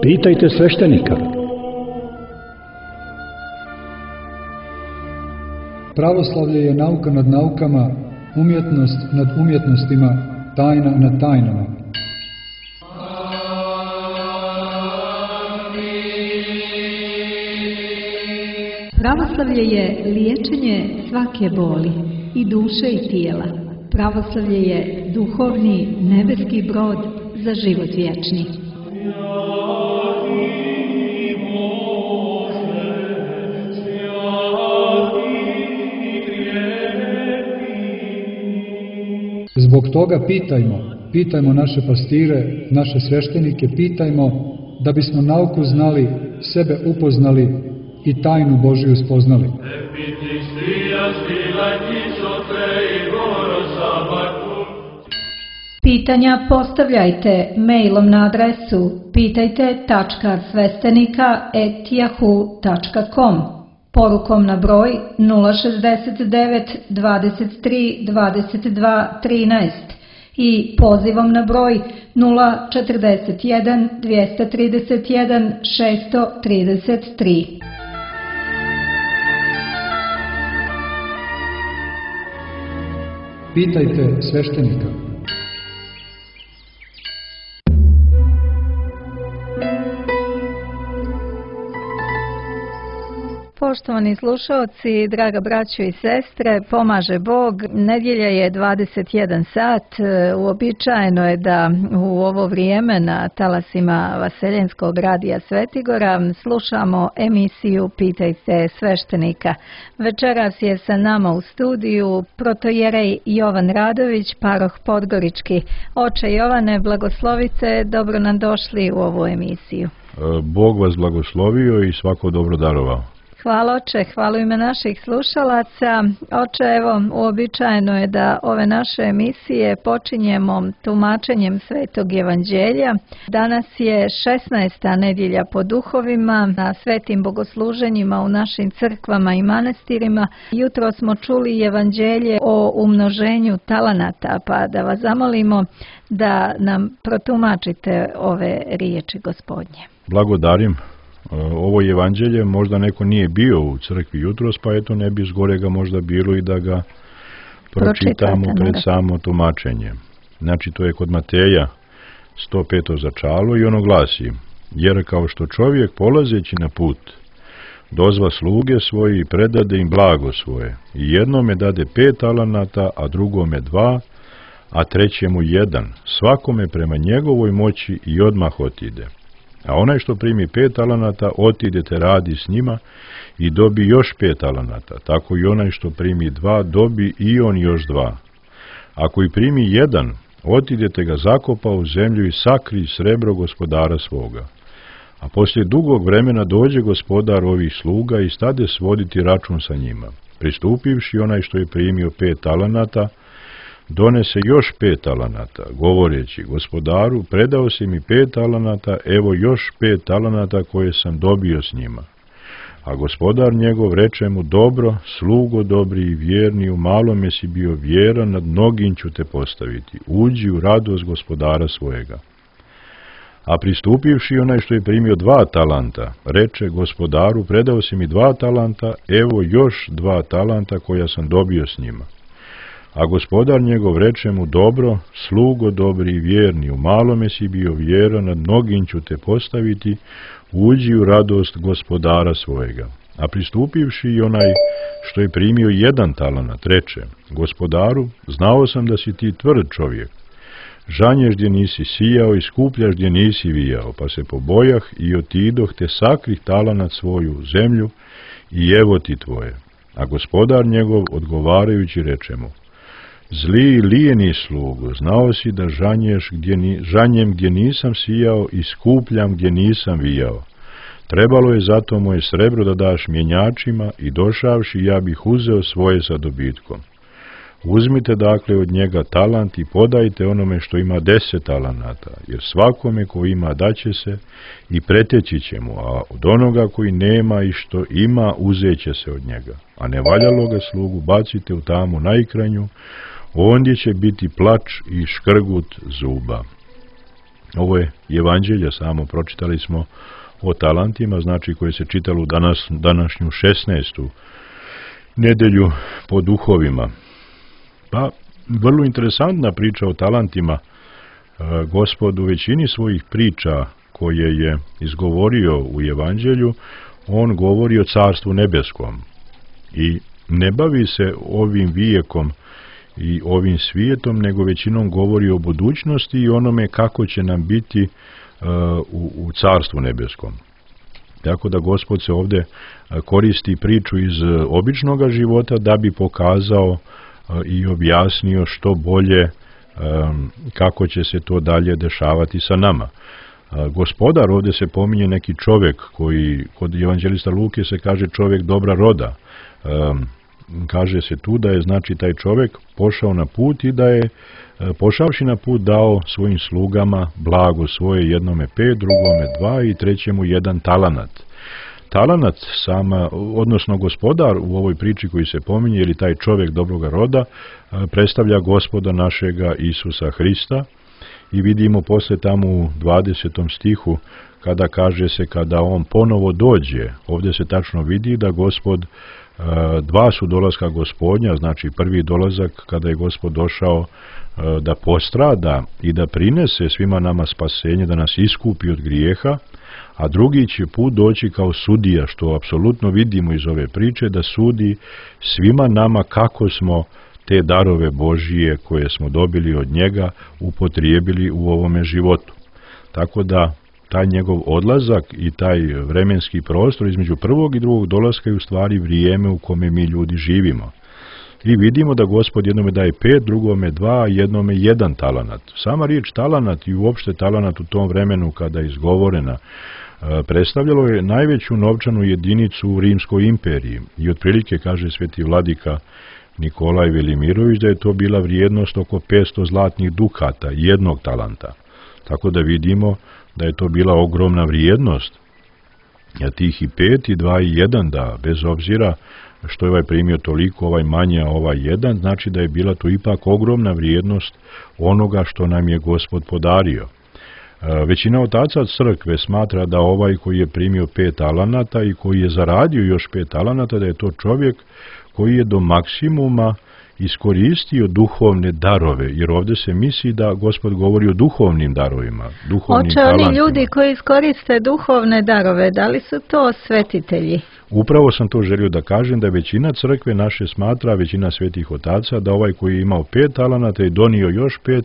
Pitajte sveštenika. Pravoslavlje je nauka nad naukama, umjetnost nad umjetnostima, tajna nad tajnama. Pravoslavlje je liječenje svake boli, i duše i tijela. Pravoslavlje je duhovni nebeski brod za život vječni. Zbog toga pitajmo naše pastire, naše sveštenike, pitajmo da bismo nauku znali, sebe upoznali i tajnu Božiju spoznali. Pitanja postavljajte mailom na adresu pitajte.svestenika@yahoo.com, porukom na broj 069 23 22 13 i pozivom na broj 041 231 633. Pitajte sveštenika. Poštovani slušalci, draga braćo i sestre, pomaže Bog. Nedjelja je 21 sat. Uobičajeno je da u ovo vrijeme na talasima Vaseljenskog radija Svetigora slušamo emisiju Pitajte sveštenika. Večeras je sa nama u studiju protojerej Jovan Radović, paroh Podgorički. Oče Jovane, blagoslovite, dobro nam došli u ovu emisiju. Bog vas blagoslovio i svako dobro darovao. Hvala oče, hvala ime naših slušalaca. Oče, evo, uobičajeno je da ove naše emisije počinjemo tumačenjem Svetog Evanđelja. Danas je 16. nedjelja po duhovima, na svetim bogosluženjima u našim crkvama i manastirima. Jutro smo čuli Evanđelje o umnoženju talanata, pa da vas zamolimo da nam protumačite ove riječi Gospodnje. Blagodarim. Ovo evanđelje možda neko nije bio u crkvi jutros, pa eto ne bi zgorega možda bilo i da ga pročitamo pred samo tumačenje. Znači to je kod Mateja 105. začalo i ono glasi: jer kao što čovjek polazeći na put dozva sluge svoje i predade im blago svoje, i jednome dade 5 talanata, a drugome 2, a trećemu 1, svakome prema njegovoj moći, i odmah otide. A onaj što primi 5 talanata, otidete radi s njima i dobi još 5 talanata. Tako i onaj što primi 2, dobi i on još 2. Ako i primi 1, otidete ga zakopa u zemlju i sakri srebro gospodara svoga. A poslije dugog vremena dođe gospodar ovih sluga i stade svoditi račun sa njima. Pristupivši, onaj što je primio 5 talanata, donese još 5 talanata, govoreći: gospodaru, predao si mi 5 talanata, evo još 5 talanata koje sam dobio s njima. A gospodar njegov reče mu: dobro, slugo dobri i vjerni, u malome si bio vjeran, nad mnogim ću te postaviti, uđi u radost gospodara svojega. A pristupivši, onaj što je primio 2 talanta, reče: gospodaru, predao si mi 2 talanta, evo još 2 talanta koja sam dobio s njima. A gospodar njegov reče mu: dobro, slugo dobri i vjerni, u malome si bio vjeran, nad mnogim ću te postaviti, uđi u radost gospodara svojega. A pristupivši, i onaj što je primio 1 talanat, reče: gospodaru, znao sam da si ti tvrd čovjek, žanješ gdje nisi sijao i skupljaš gdje nisi vijao, pa se pobojah i otidoh te sakrih talanat svoju u zemlju, i evo ti tvoje. A gospodar njegov odgovarajući reče mu: zli i lijeni slugo, znao si da žanjem gdje nisam sijao i skupljam gdje nisam vijao. Trebalo je zato moje srebro da daš mjenjačima, i došavši ja bih uzeo svoje sa dobitkom. Uzmite dakle od njega talant i podajte onome što ima 10 talanata, jer svakome ko ima daće se i preteći će mu, a od onoga koji nema i što ima uzet će se od njega. A ne valjalo ga slugu bacite u tamu najkrajnju, ondje će biti plač i škrgut zuba. Ovo je evanđelje, samo pročitali smo o talentima, znači koje se čitalo današnju 16. nedelju po duhovima. Pa, vrlo interesantna priča o talentima. Gospod u većini svojih priča koje je izgovorio u evanđelju, on govori o carstvu nebeskom i ne bavi se ovim vijekom i ovim svijetom, nego većinom govori o budućnosti i onome kako će nam biti u carstvu nebeskom. Tako da Gospod se ovdje koristi priču iz običnog života da bi pokazao i objasnio što bolje kako će se to dalje dešavati sa nama. Gospodar, ovdje se pominje neki čovjek koji, kod evanđelista Luke se kaže čovjek dobra roda. Kaže se tu da je znači taj čovjek pošao na put i da je pošavši na put dao svojim slugama blago svoje, jednome 5, drugome 2 i trećemu 1 talenat. Talenat sama, odnosno gospodar u ovoj priči koji se pominje, ili taj čovjek dobroga roda, predstavlja Gospoda našega Isusa Hrista i vidimo posle tamo u 20. stihu kada kaže se kada on ponovo dođe, ovdje se tačno vidi da Gospod, 2 su dolaska Gospodnja, znači prvi dolazak kada je Gospod došao da postrada i da prinese svima nama spasenje, da nas iskupi od grijeha, a drugi će put doći kao sudija, što apsolutno vidimo iz ove priče, da sudi svima nama kako smo te darove Božije koje smo dobili od njega upotrijebili u ovome životu. Tako da taj njegov odlazak i taj vremenski prostor između prvog i drugog dolaska je u stvari vrijeme u kome mi ljudi živimo. I vidimo da Gospod jednome daje 5, drugome 2, jednome 1 talenat. Sama riječ talenat i uopšte talenat u tom vremenu kada je izgovorena predstavljalo je najveću novčanu jedinicu u Rimskoj imperiji. I otprilike, kaže sveti vladika Nikolaj Velimirović, da je to bila vrijednost oko 500 zlatnih dukata, 1 talenta. Tako da vidimo da je to bila ogromna vrijednost. A tih i 5 i 2 i 1, da bez obzira što je ovaj primio toliko, ovaj manje, a ovaj 1, znači da je bila to ipak ogromna vrijednost onoga što nam je Gospod podario. Većina otaca crkve smatra da ovaj koji je primio 5 talenata i koji je zaradio još 5 talenata, da je to čovjek koji je do maksimuma iskoristio duhovne darove, jer ovdje se misli da Gospod govori o duhovnim darovima, duhovnim talentima. Oni ljudi koji iskoriste duhovne darove, da li su to svetitelji? Upravo sam to želio da kažem, da većina crkve naše smatra, većina svetih otaca, da ovaj koji je imao 5 talenata i donio još 5,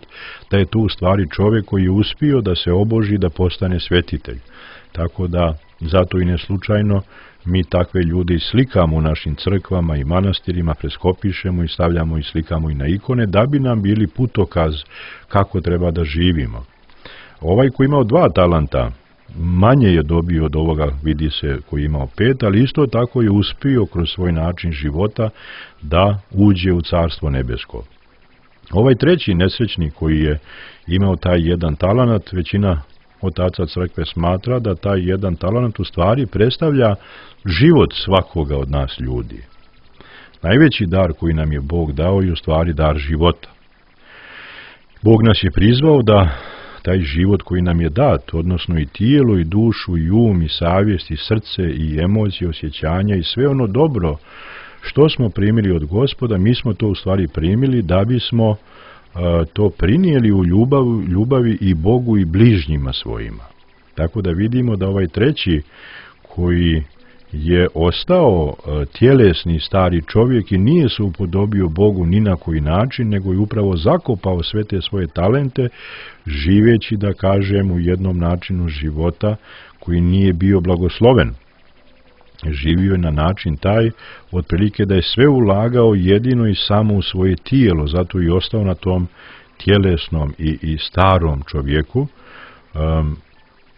da je tu u stvari čovjek koji je uspio da se oboži, da postane svetitelj. Tako da, zato i ne slučajno, mi takve ljude slikamo u našim crkvama i manastirima, preskopišemo i stavljamo i slikamo i na ikone, da bi nam bili putokaz kako treba da živimo. Ovaj koji imao 2 talenta, manje je dobio od ovoga, vidi se, koji je imao 5, ali isto tako je uspio kroz svoj način života da uđe u carstvo nebesko. Ovaj treći nesrećnik koji je imao taj 1 talenat, većina otaca crkve smatra da taj 1 talenat u stvari predstavlja život svakoga od nas ljudi. Najveći dar koji nam je Bog dao je u stvari dar života. Bog nas je prizvao da taj život koji nam je dat, odnosno i tijelo, i dušu, i um, i savjest, i srce, i emocije, osjećanja, i sve ono dobro što smo primili od Gospoda, mi smo to u stvari primili da bismo to prinijeli u ljubavi i Bogu i bližnjima svojima. Tako da vidimo da ovaj treći koji je ostao tjelesni stari čovjek i nije se upodobio Bogu ni na koji način, nego je upravo zakopao sve te svoje talente, živeći, da kažem, u jednom načinu života koji nije bio blagosloven. Živio je na način taj, otprilike da je sve ulagao jedino i samo u svoje tijelo, zato i ostao na tom tjelesnom i starom čovjeku.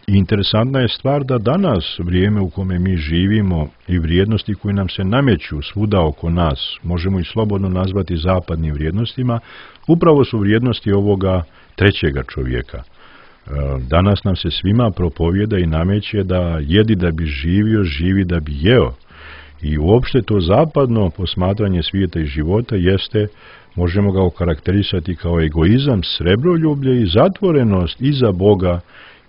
Interesantna je stvar da danas, vrijeme u kome mi živimo i vrijednosti koje nam se nameću svuda oko nas, možemo i slobodno nazvati zapadnim vrijednostima, upravo su vrijednosti ovoga trećega čovjeka. Danas nam se svima propovjeda i nameće da jedi da bi živio, živi da bi jeo. I uopšte to zapadno posmatranje svijeta i života jeste, možemo ga okarakterisati kao egoizam, srebroljublje i zatvorenost i za Boga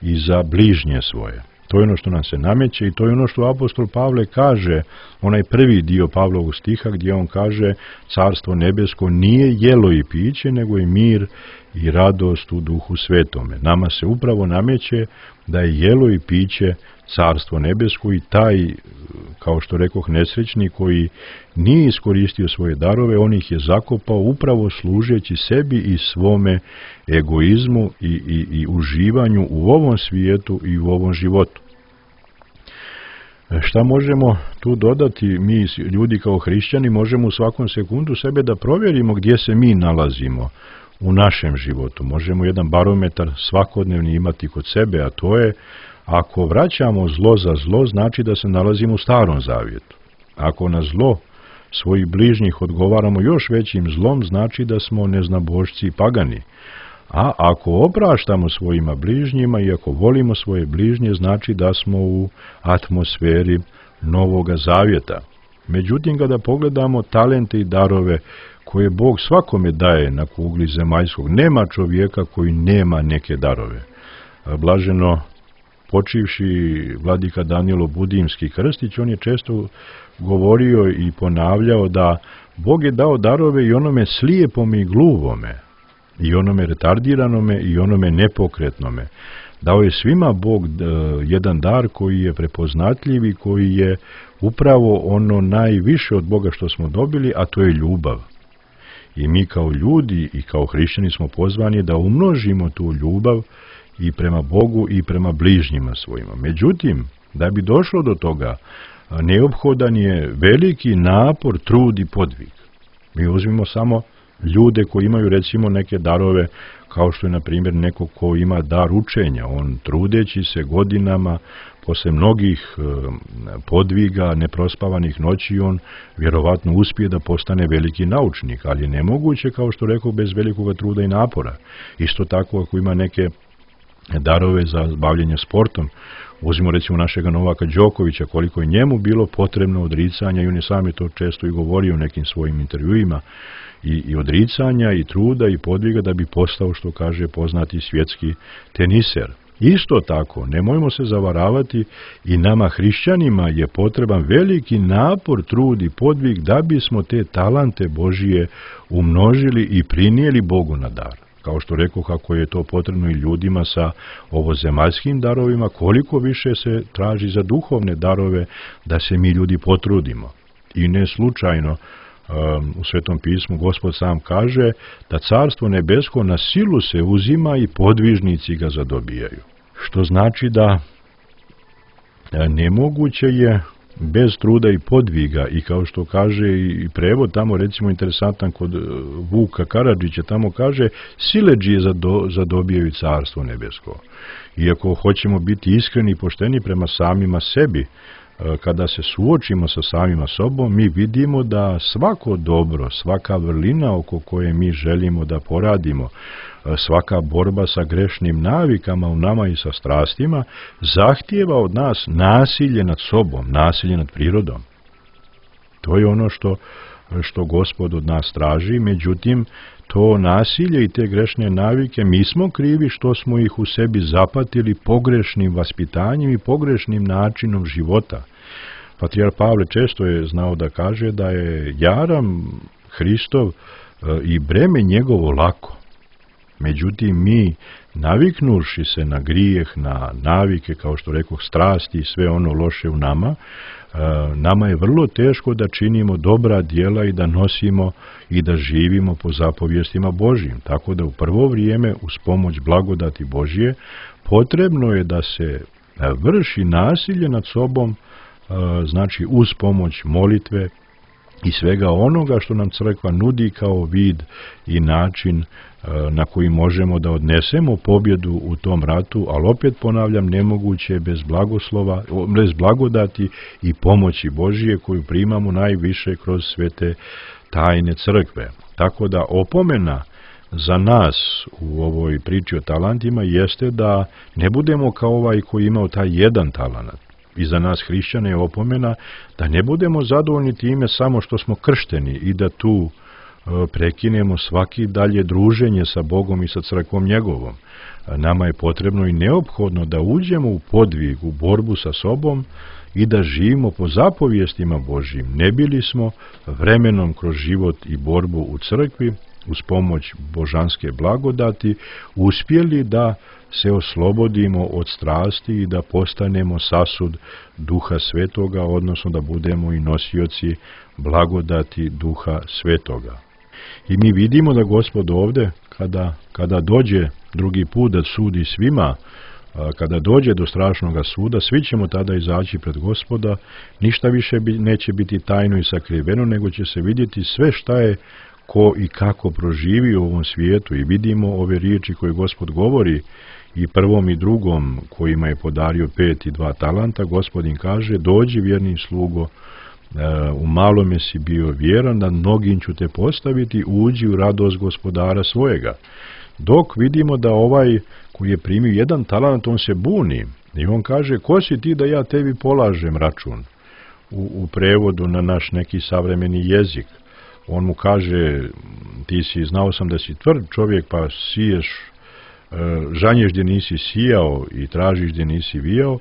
i za bližnje svoje. To je ono što nam se nameće i to je ono što apostol Pavle kaže, onaj prvi dio Pavlovog stiha gdje on kaže Carstvo nebesko nije jelo i piće, nego je mir i radost u Duhu Svetome. Nama se upravo nameće da je jelo i piće Carstvo nebesko i taj, kao što rekoh, nesrećni koji nije iskoristio svoje darove, on ih je zakopao upravo služeći sebi i svome egoizmu i uživanju u ovom svijetu i u ovom životu. Šta možemo tu dodati? Mi ljudi kao hrišćani možemo u svakom sekundu sebe da provjerimo gdje se mi nalazimo u našem životu. Možemo jedan barometar svakodnevni imati kod sebe, a to je ako vraćamo zlo za zlo, znači da se nalazimo u Starom Zavjetu. Ako na zlo svojih bližnjih odgovaramo još većim zlom, znači da smo neznabošci i pagani. A ako opraštamo svojima bližnjima i ako volimo svoje bližnje, znači da smo u atmosferi Novoga Zavjeta. Međutim, kada pogledamo talente i darove koje Bog svakome daje na kugli zemaljskog, nema čovjeka koji nema neke darove. Blaženo počivši vladika Danilo Budimski Krstić, on je često govorio i ponavljao da Bog je dao darove i onome slijepome i gluvome, i onome retardiranome i onome nepokretnome. Dao je svima Bog jedan dar koji je prepoznatljiv i koji je upravo ono najviše od Boga što smo dobili, a to je ljubav. I mi kao ljudi i kao hrišćani smo pozvani da umnožimo tu ljubav i prema Bogu i prema bližnjima svojima. Međutim, da bi došlo do toga, neophodan je veliki napor, trud i podvig. Mi uzmimo samo ljude koji imaju recimo neke darove, kao što je na primjer neko ko ima dar učenja. On trudeći se godinama, posle mnogih podviga, neprospavanih noći, on vjerovatno uspije da postane veliki naučnik, ali je nemoguće, kao što rekao, bez velikog truda i napora. Isto tako ako ima neke darove za bavljenje sportom, uzmimo recimo našega Novaka Đokovića, koliko je njemu bilo potrebno odricanja, i on je sam je to često i govorio u nekim svojim intervjuima, i odricanja, i truda, i podviga da bi postao, što kaže, poznati svjetski teniser. Isto tako, nemojmo se zavaravati, i nama hrišćanima je potreban veliki napor, trud i podvig da bismo te talante Božije umnožili i prinijeli Bogu na dar. Kao što rekao, kako je to potrebno i ljudima sa ovozemaljskim darovima, koliko više se traži za duhovne darove da se mi ljudi potrudimo. I ne slučajno u Svetom pismu Gospod sam kaže da Carstvo nebesko na silu se uzima i podvižnici ga zadobijaju. Što znači da nemoguće je bez truda i podviga, i kao što kaže i prevod tamo, recimo interesantan kod Vuka Karadžića, tamo kaže siledžije zadobijaju Carstvo nebesko. Iako hoćemo biti iskreni i pošteni prema samima sebi, kada se suočimo sa samima sobom, mi vidimo da svako dobro, svaka vrlina oko koje mi želimo da poradimo, svaka borba sa grešnim navikama u nama i sa strastima, zahtijeva od nas nasilje nad sobom, nasilje nad prirodom. To je ono što Gospod od nas traži, međutim, to nasilje i te grešne navike, mi smo krivi što smo ih u sebi zapatili pogrešnim vaspitanjem i pogrešnim načinom života. Patrijar Pavle često je znao da kaže da je jaram Hristov i breme njegovo lako. Međutim, mi, naviknuši se na grijeh, na navike, kao što rekoh, strasti i sve ono loše u nama, nama je vrlo teško da činimo dobra djela i da nosimo i da živimo po zapovjestima Božjim. Tako da u prvo vrijeme, uz pomoć blagodati Božje, potrebno je da se vrši nasilje nad sobom, znači uz pomoć molitve i svega onoga što nam crkva nudi kao vid i način na koji možemo da odnesemo pobjedu u tom ratu, ali opet ponavljam, nemoguće bez blagoslova, bez blagodati i pomoći Božije koju primamo najviše kroz svete tajne crkve. Tako da opomena za nas u ovoj priči o talentima jeste da ne budemo kao ovaj koji imao taj jedan talenat, I za nas hrišćane je opomena da ne budemo zadovoljni time samo što smo kršteni i da tu prekinemo svaki dalje druženje sa Bogom i sa crkvom njegovom. Nama je potrebno i neophodno da uđemo u podvig, u borbu sa sobom i da živimo po zapovijestima Božjim. Ne bili smo vremenom kroz život i borbu u crkvi, uz pomoć božanske blagodati, uspjeli da se oslobodimo od strasti i da postanemo sasud Duha Svetoga, odnosno da budemo i nosioci blagodati Duha Svetoga. I mi vidimo da Gospod ovde, kada dođe drugi put da sudi svima, kada dođe do strašnog suda, svi ćemo tada izaći pred Gospoda, ništa više neće biti tajno i sakriveno, nego će se vidjeti sve šta je ko i kako proživi u ovom svijetu. I vidimo ove riječi koje Gospod govori i prvom i drugom kojima je podario 5 i 2 talanta. Gospodin kaže: dođi vjerni slugo, u malome si bio vjeran, na mnogim ću te postaviti, uđi u radost gospodara svojega. Dok vidimo da ovaj koji je primio 1 talant, on se buni i on kaže: ko si ti da ja tebi polažem račun? U prevodu na naš neki savremeni jezik. On mu kaže: ti si, znao sam da si tvrd čovjek, pa siješ, žanješ gdje nisi sijao i tražiš gdje nisi vijao.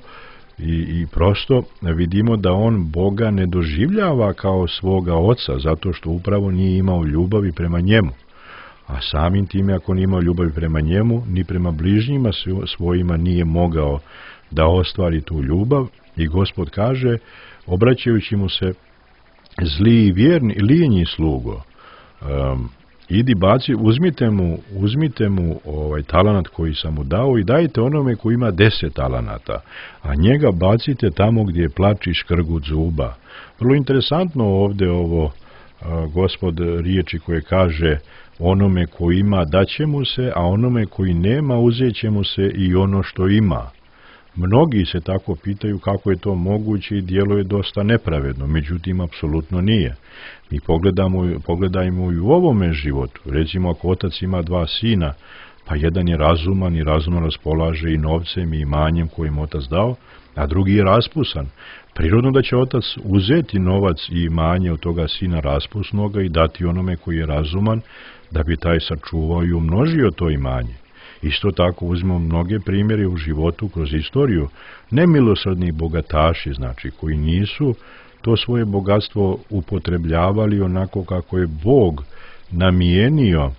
I prosto vidimo da on Boga ne doživljava kao svoga oca, zato što upravo nije imao ljubavi prema njemu. A samim time, ako nije imao ljubavi prema njemu, ni prema bližnjima svojima nije mogao da ostvari tu ljubav. I Gospod kaže, obraćajući mu se: zli i vjerni, lijenji slugo, idi baci, uzmite mu talanat koji sam mu dao i dajte onome koji ima 10 talanata, a njega bacite tamo gdje je plač i škrgut zuba. Vrlo interesantno ovdje ovo Gospod riječi koje kaže: onome koji ima daće mu se, a onome koji nema uzet će mu se i ono što ima. Mnogi se tako pitaju kako je to moguće i djeluje dosta nepravedno, međutim, apsolutno nije. Mi pogledajmo i u ovome životu. Recimo, ako otac ima 2 sina, pa jedan je razuman i razumno raspolaže i novcem i imanjem kojim otac dao, a drugi je raspusan. Prirodno da će otac uzeti novac i imanje od toga sina raspusnoga i dati onome koji je razuman, da bi taj sačuvao i umnožio to imanje. Isto tako uzmemo mnoge primjere u životu kroz istoriju. Nemilosrdni bogataši, znači, koji nisu to svoje bogatstvo upotrebljavali onako kako je Bog namijenio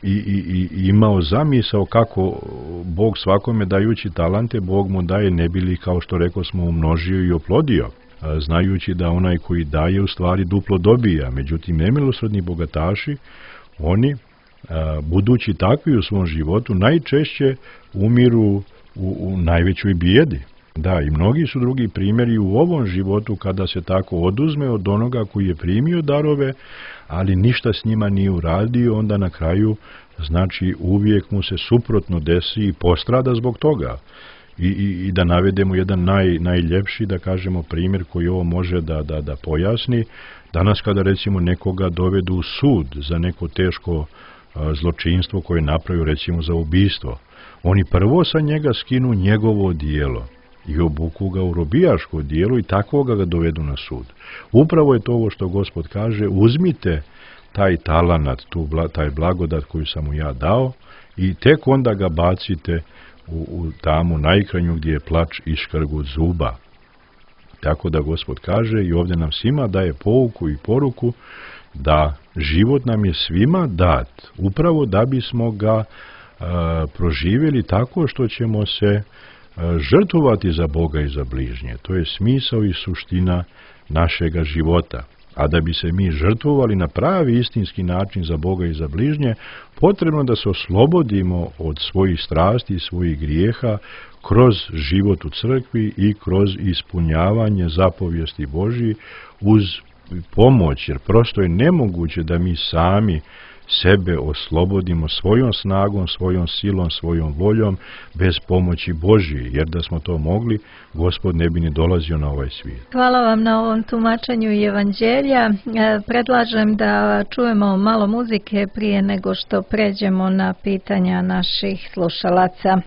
i imao zamisao kako Bog svakome dajući talante, Bog mu daje ne bili, kao što rekao smo, umnožio i oplodio, znajući da onaj koji daje u stvari duplo dobija. Međutim, nemilosrdni bogataši, oni, budući takvi u svom životu, najčešće umiru u najvećoj bijedi. Da, i mnogi su drugi primjeri u ovom životu kada se tako oduzme od onoga koji je primio darove, ali ništa s njima nije uradio, onda na kraju, znači, uvijek mu se suprotno desi i postrada zbog toga. I da navedemo jedan najljepši, da kažemo, primjer koji ovo može da pojasni. Danas kada recimo nekoga dovedu u sud za neko teško zločinstvo koje je napravio, recimo za ubistvo, oni prvo sa njega skinu njegovo dijelo i obuku ga u robijaško dijelo i takvoga ga dovedu na sud. Upravo je to ovo što Gospod kaže: uzmite taj talanat, taj blagodat koju sam mu ja dao i tek onda ga bacite u tamu najkranju gdje je plač i škrgut zuba. Tako da Gospod kaže i ovdje nam svima daje pouku i poruku da život nam je svima dat, upravo da bismo ga proživjeli tako što ćemo se žrtvovati za Boga i za bližnje. To je smisao i suština našega života. A da bi se mi žrtvovali na pravi istinski način za Boga i za bližnje, potrebno da se oslobodimo od svojih strasti i svojih grijeha kroz život u crkvi i kroz ispunjavanje zapovijesti Božji uz pomoć, jer prosto je nemoguće da mi sami sebe oslobodimo svojom snagom, svojom silom, svojom voljom, bez pomoći Božje, jer da smo to mogli, Gospod ne bi ni dolazio na ovaj svijet. Hvala vam na ovom tumačenju evanđelja. Predlažem da čujemo malo muzike prije nego što pređemo na pitanja naših slušalaca.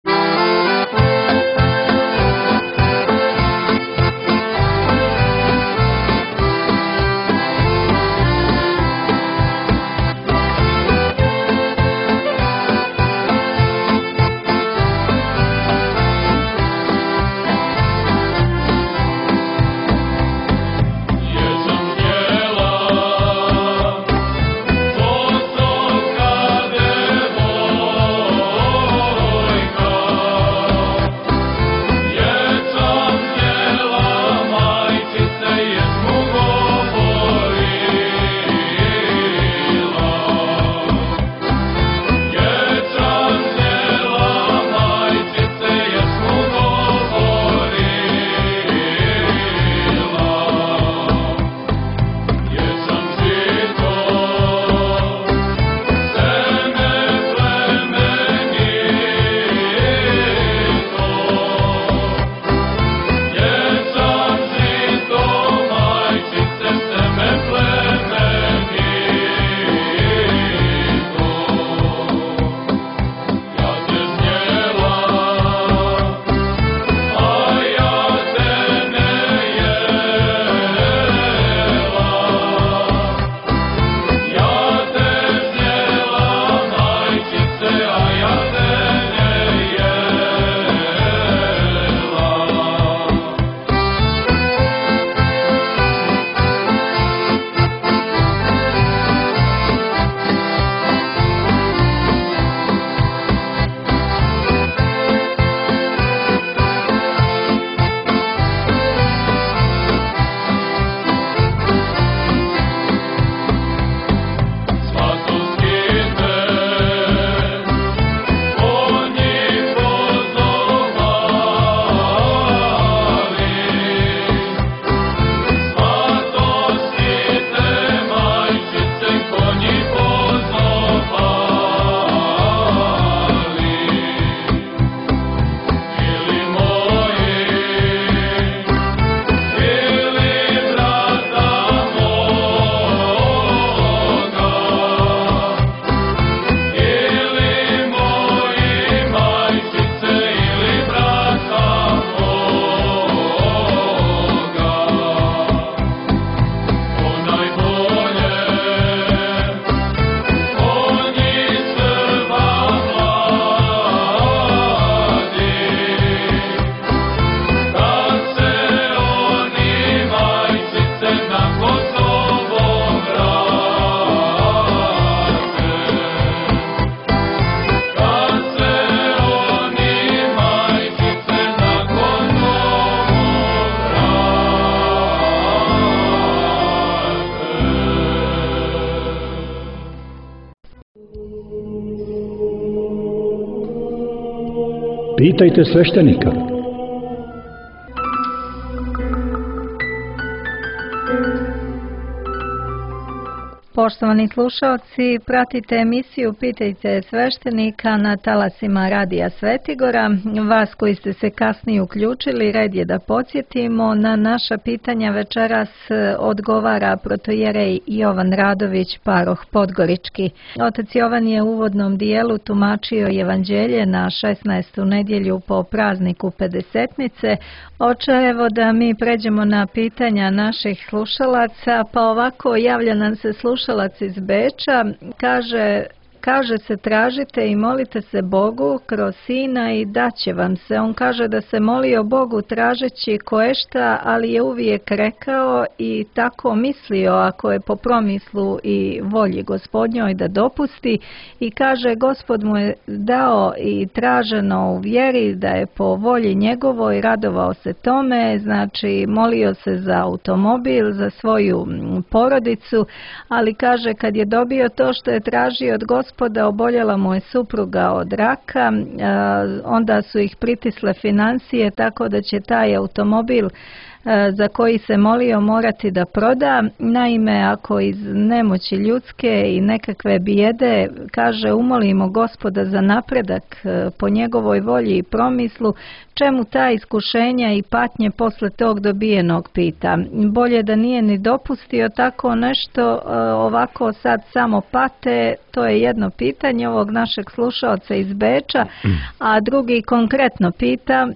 Pitajte sveštenika. Poštovani slušalci, pratite emisiju Pitajte sveštenika na talasima Radija Svetigora. Vas koji ste se kasnije uključili, red je da podsjetimo, na naša pitanja večeras odgovara protojerej Jovan Radović, paroh Podgorički. Otac Jovan je u uvodnom dijelu tumačio evanđelje na 16. nedjelju po prazniku Pedesetnice. Oče, evo da mi pređemo na pitanja naših slušalaca, pa ovako javlja nam se slušalac iz Beča, kaže se tražite i molite se Bogu kroz Sina i daće vam se. On kaže da se molio Bogu tražeći koješta, ali je uvijek rekao i tako mislio ako je po promislu i volji Gospodnjoj da dopusti, i kaže Gospod mu je dao i traženo u vjeri da je po volji njegovoj, radovao se tome, znači molio se za automobil, za svoju porodicu, ali kaže kad je dobio to što je tražio od Gospoda, oboljela mu je supruga od raka, onda su ih pritisle financije tako da će taj automobil za koji se molio morati da proda. Naime, ako iz nemoći ljudske i nekakve bijede, kaže, umolimo Gospoda za napredak po njegovoj volji i promislu, čemu ta iskušenja i patnje posle tog dobijenog, pita. Bolje da nije ni dopustio tako nešto, ovako sad samo pate. To je jedno pitanje ovog našeg slušaoca iz Beča, a drugi konkretno pita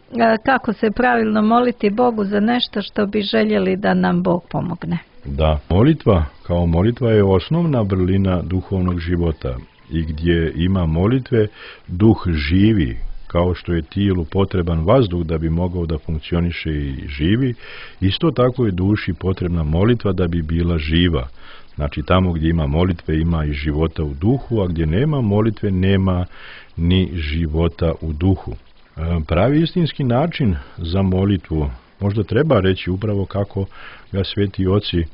kako se pravilno moliti Bogu za nešto što bi željeli da nam Bog pomogne. Da, molitva kao molitva je osnovna vrlina duhovnog života, i gdje ima molitve duh živi, kao što je tijelu potreban vazduh da bi mogao da funkcioniše i živi, isto tako je duši potrebna molitva da bi bila živa. Znači tamo gdje ima molitve ima i života u duhu, a gdje nema molitve nema ni života u duhu. Pravi istinski način za molitvu možda treba reći upravo kako ga sveti oci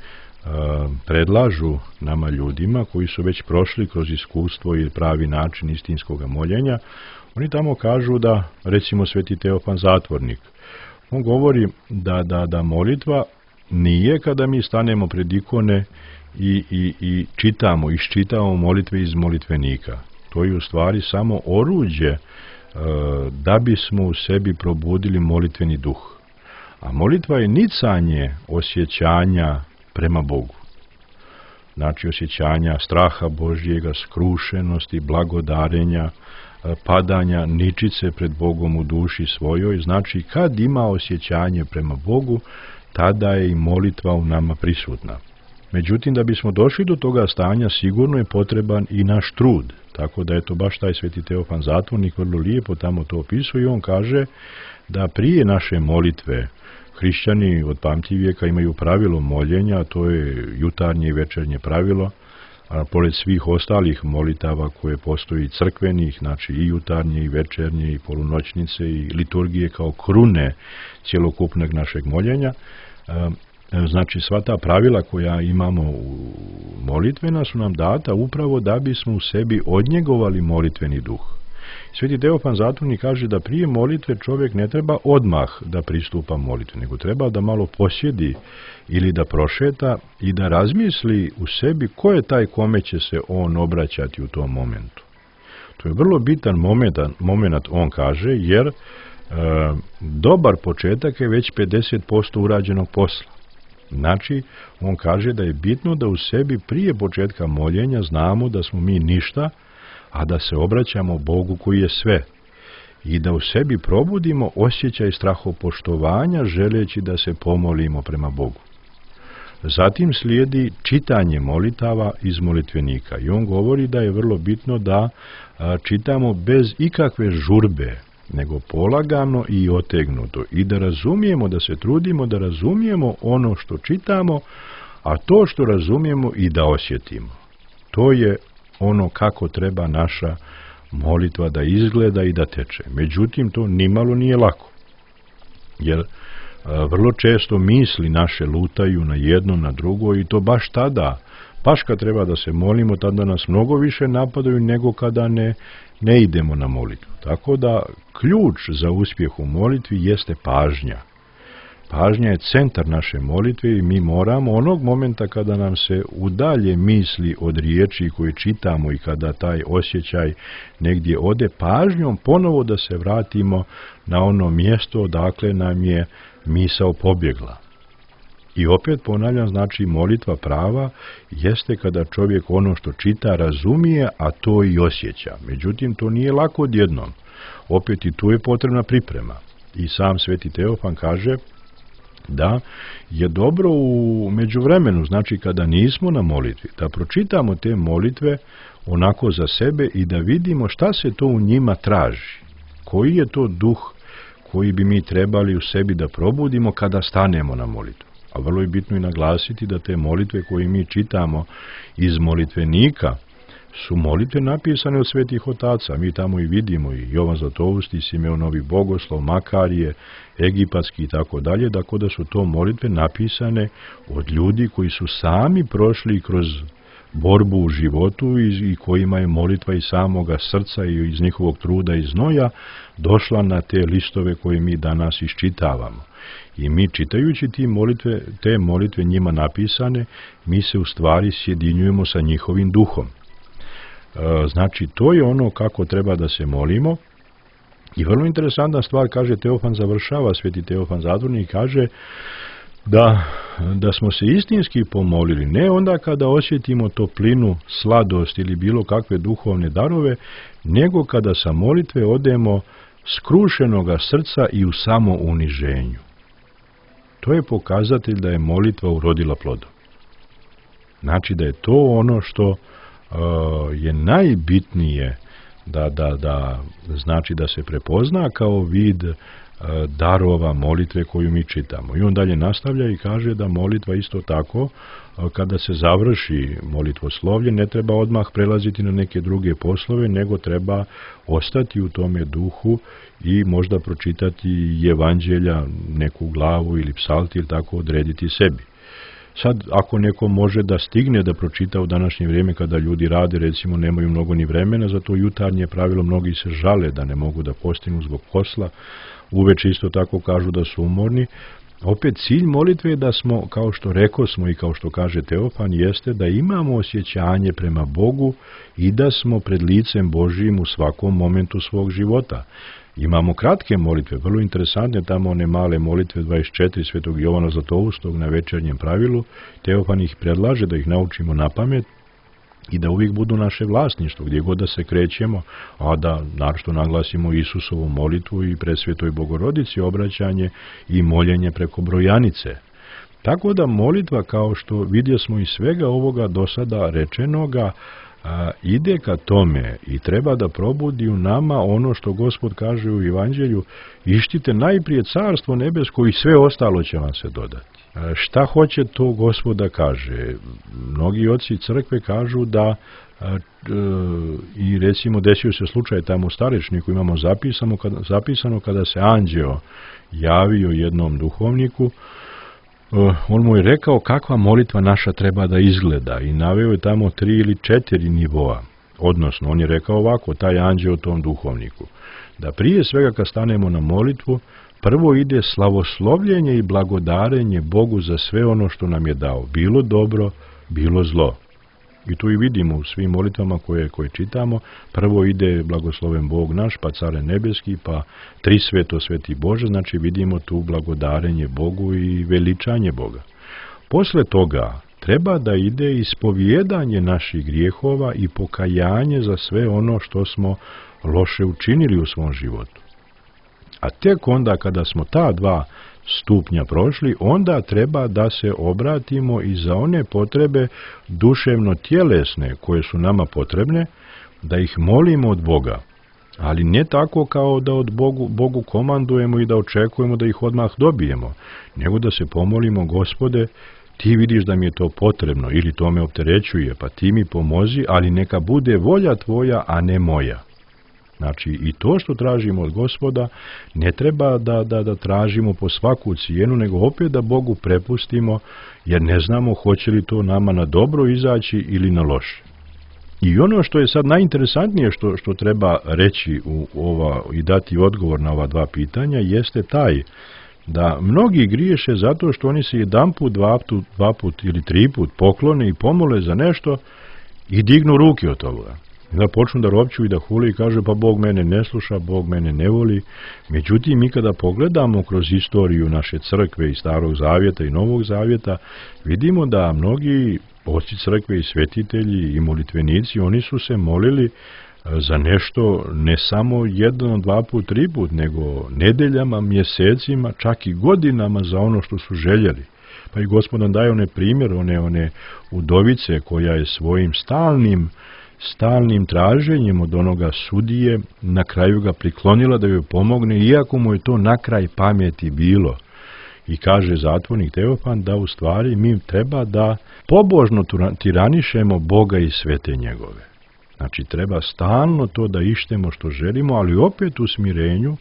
predlažu nama ljudima koji su već prošli kroz iskustvo i pravi način istinskog moljenja. Oni tamo kažu da, recimo sveti Teofan Zatvornik, on govori da molitva nije kada mi stanemo pred ikone i iščitamo molitve iz molitvenika. To je u stvari samo oruđe da bismo u sebi probudili molitveni duh. A molitva je nicanje osjećanja prema Bogu. Znači osjećanja straha Božjega, skrušenosti, blagodarenja, padanja ničice pred Bogom u duši svojoj. Znači kad ima osjećanje prema Bogu, tada je i molitva u nama prisutna. Međutim, da bismo došli do toga stanja, sigurno je potreban i naš trud. Tako da je to baš taj sveti Teofan Zatvornik vrlo lijepo tamo to opisuje, i on kaže da prije naše molitve hrišćani od pamtivijeka imaju pravilo moljenja, to je jutarnje i večernje pravilo, a pored svih ostalih molitava koje postoji crkvenih, znači i jutarnje i večernje i polunoćnice i liturgije kao krune cjelokupnog našeg moljenja. Znači sva ta pravila koja imamo u molitvena su nam data upravo da bismo u sebi odnjegovali molitveni duh. Sveti Teofan Zatvornik kaže da prije molitve čovjek ne treba odmah da pristupa molitvi, nego treba da malo posjedi ili da prošeta i da razmisli u sebi ko je taj kome će se on obraćati u tom momentu. To je vrlo bitan moment, on kaže, jer dobar početak je već 50% urađenog posla. Znači, on kaže da je bitno da u sebi prije početka moljenja znamo da smo mi ništa, a da se obraćamo Bogu koji je sve, i da u sebi probudimo osjećaj strahopoštovanja želeći da se pomolimo prema Bogu. Zatim slijedi čitanje molitava iz molitvenika, i on govori da je vrlo bitno da čitamo bez ikakve žurbe, nego polagano i otegnuto, i da razumijemo, da se trudimo da razumijemo ono što čitamo, a to što razumijemo i da osjetimo. To je ono kako treba naša molitva da izgleda i da teče. Međutim, to nimalo nije lako, jer vrlo često misli naše lutaju na jedno, na drugo, i to baš tada, baš kad treba da se molimo, tada nas mnogo više napadaju nego kada ne idemo na molitvu. Tako da ključ za uspjeh u molitvi jeste pažnja. Pažnja je centar naše molitve i mi moramo onog momenta kada nam se udalje misli od riječi koje čitamo i kada taj osjećaj negdje ode, pažnjom ponovo da se vratimo na ono mjesto odakle nam je misao pobjegla. I opet ponavljam, znači molitva prava jeste kada čovjek ono što čita razumije, a to i osjeća. Međutim, to nije lako odjednom. Opet i tu je potrebna priprema. I sam Sveti Teofan kaže da je dobro u međuvremenu, znači kada nismo na molitvi, da pročitamo te molitve onako za sebe i da vidimo šta se to u njima traži. Koji je to duh koji bi mi trebali u sebi da probudimo kada stanemo na molitvu. A vrlo je bitno i naglasiti da te molitve koje mi čitamo iz molitvenika su molitve napisane od svetih otaca. Mi tamo i vidimo i Jovan Zlatousti, Simeon Novi Bogoslov, Makarije, egipatski i tako dalje, tako da su to molitve napisane od ljudi koji su sami prošli kroz borbu u životu i kojima je molitva iz samoga srca i iz njihovog truda i znoja došla na te listove koje mi danas iščitavamo. I mi čitajući te molitve njima napisane, mi se u stvari sjedinjujemo sa njihovim duhom. Znači, to je ono kako treba da se molimo. I vrlo interesantna stvar, kaže Teofan, završava Sveti Teofan Zadvornik, kaže da smo se istinski pomolili, ne onda kada osjetimo toplinu, sladost ili bilo kakve duhovne darove, nego kada sa molitve odemo skrušenoga srca i u samouniženju. To je pokazatelj da je molitva urodila plodom. Znači da je to ono što je najbitnije znači da se prepozna kao vid darova molitve koju mi čitamo. I on dalje nastavlja i kaže da molitva isto tako, kada se završi molitvoslovlje, ne treba odmah prelaziti na neke druge poslove, nego treba ostati u tome duhu i možda pročitati evanđelja, neku glavu ili psalti ili tako odrediti sebi. Sad, ako neko može da stigne da pročita u današnje vrijeme kada ljudi rade, recimo nemaju mnogo ni vremena, za to jutarnje pravilo mnogi se žale da ne mogu da postignu zbog posla, uveče isto tako kažu da su umorni. Opet cilj molitve je da smo, kao što rekosmo i kao što kaže Teofan, jeste da imamo osjećanje prema Bogu i da smo pred licem Božijim u svakom momentu svog života. Imamo kratke molitve, vrlo interesantne, tamo one male molitve 24 Svetog Jovana Zlatoustog na večernjem pravilu. Teofan ih predlaže da ih naučimo na pamet i da uvijek budu naše vlasništvo, gdje god da se krećemo, a da naročito naglasimo Isusovu molitvu i Presvetoj Bogorodici obraćanje i moljenje preko brojanice. Tako da molitva, kao što vidjesmo iz svega ovoga do sada rečenoga, ide ka tome i treba da probudi u nama ono što Gospod kaže u Evanđelju: ištite najprije carstvo nebesko i sve ostalo će vam se dodati. Šta hoće to Gospod da kaže? Mnogi oci crkve kažu da i recimo desio se slučaj tamo u Starečniku, imamo zapisano kada se anđeo javio jednom duhovniku, on mu je rekao kakva molitva naša treba da izgleda i naveo je tamo 3 ili 4 nivoa. Odnosno, on je rekao ovako, taj anđeo tom duhovniku, da prije svega kad stanemo na molitvu, prvo ide slavoslovljenje i blagodarenje Bogu za sve ono što nam je dao, bilo dobro, bilo zlo. I tu i vidimo u svim molitvama koje čitamo, prvo ide blagosloven Bog naš, pa Care nebeski, pa Trisveto Sveti Bože, znači vidimo tu blagodarenje Bogu i veličanje Boga. Posle toga treba da ide ispovijedanje naših grijehova i pokajanje za sve ono što smo loše učinili u svom životu. A tek onda kada smo ta 2 stupnja prošli, onda treba da se obratimo i za one potrebe duševno-tjelesne koje su nama potrebne, da ih molimo od Boga. Ali ne tako kao da od Bogu komandujemo i da očekujemo da ih odmah dobijemo, nego da se pomolimo: Gospode, ti vidiš da mi je to potrebno ili to me opterećuje, pa ti mi pomozi, ali neka bude volja tvoja, a ne moja. Znači, i to što tražimo od Gospoda ne treba da tražimo po svaku cijenu, nego opet da Bogu prepustimo, jer ne znamo hoće li to nama na dobro izaći ili na loše. I ono što je sad najinteresantnije što treba reći i dati odgovor na ova dva pitanja jeste taj da mnogi griješe zato što oni se jedanput, dva put ili tri put poklone i pomole za nešto i dignu ruke od toga. Da počnu da ropću i da hule i kaže pa Bog mene ne sluša, Bog mene ne voli. Međutim, mi kada pogledamo kroz istoriju naše crkve i Starog zavjeta i Novog zavjeta, vidimo da mnogi oci crkve i svetitelji i molitvenici, oni su se molili za nešto ne samo jedan, dva put, tri put, nego nedeljama, mjesecima, čak i godinama za ono što su željeli. Pa i Gospod nam daje one primjer, one udovice koja je svojim stalnim traženjem od onoga sudije na kraju ga priklonila da joj pomogne, iako mu je to na kraj pameti bilo. I kaže zatvornik Teofan da u stvari mi treba da pobožno tiranišemo Boga i svete njegove. Znači treba stalno to da ištemo što želimo, ali opet u smirenju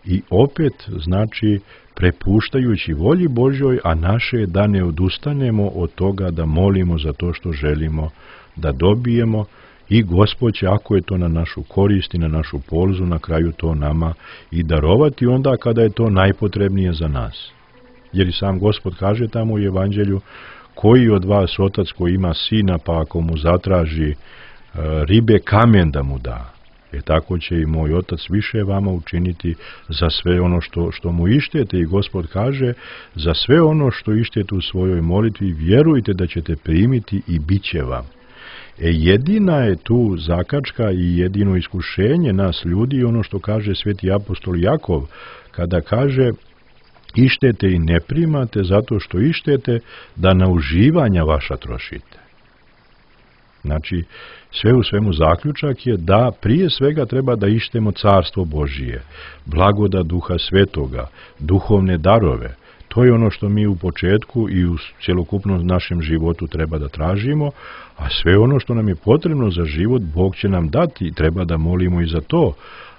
i opet znači prepuštajući volji Božjoj, a naše je da ne odustanemo od toga da molimo za to što želimo da dobijemo i Gospod će, ako je to na našu korist i na našu polzu, na kraju to nama i darovati onda kada je to najpotrebnije za nas. Jer i sam Gospod kaže tamo u Evanđelju, koji od vas otac koji ima sina, pa ako mu zatraži ribe, kamen da mu da. Tako će i moj otac više vama učiniti za sve ono što mu ištete. I Gospod kaže, za sve ono što ištete u svojoj molitvi, vjerujte da ćete primiti i bit će vam. Jedina je tu zakačka i jedino iskušenje nas ljudi, ono što kaže sveti apostol Jakov, kada kaže, ištete i ne primate zato što ištete da na uživanja vaša trošite. Znači, sve u svemu zaključak je da prije svega treba da ištemo carstvo Božije, blagoda Duha Svetoga, duhovne darove. To je ono što mi u početku i u cjelokupnom našem životu treba da tražimo, a sve ono što nam je potrebno za život Bog će nam dati i treba da molimo i za to,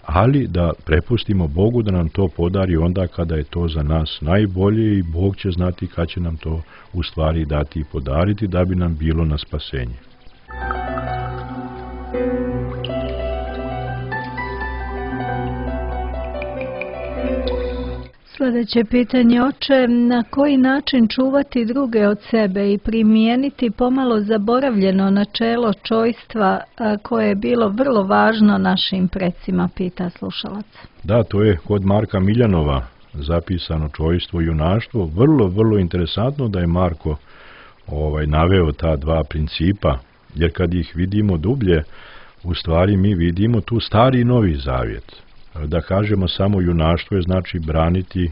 ali da prepustimo Bogu da nam to podari onda kada je to za nas najbolje i Bog će znati kad će nam to u stvari dati i podariti da bi nam bilo na spasenje. Sljedeće pitanje, oče, na koji način čuvati druge od sebe i primijeniti pomalo zaboravljeno načelo čojstva koje je bilo vrlo važno našim precima, pita slušalac. Da, to je kod Marka Miljanova zapisano čojstvo i junaštvo. Vrlo interesantno da je Marko naveo ta dva principa, jer kad ih vidimo dublje, u stvari mi vidimo tu Stari i Novi Zavjet. Da kažemo samo junaštvo je znači braniti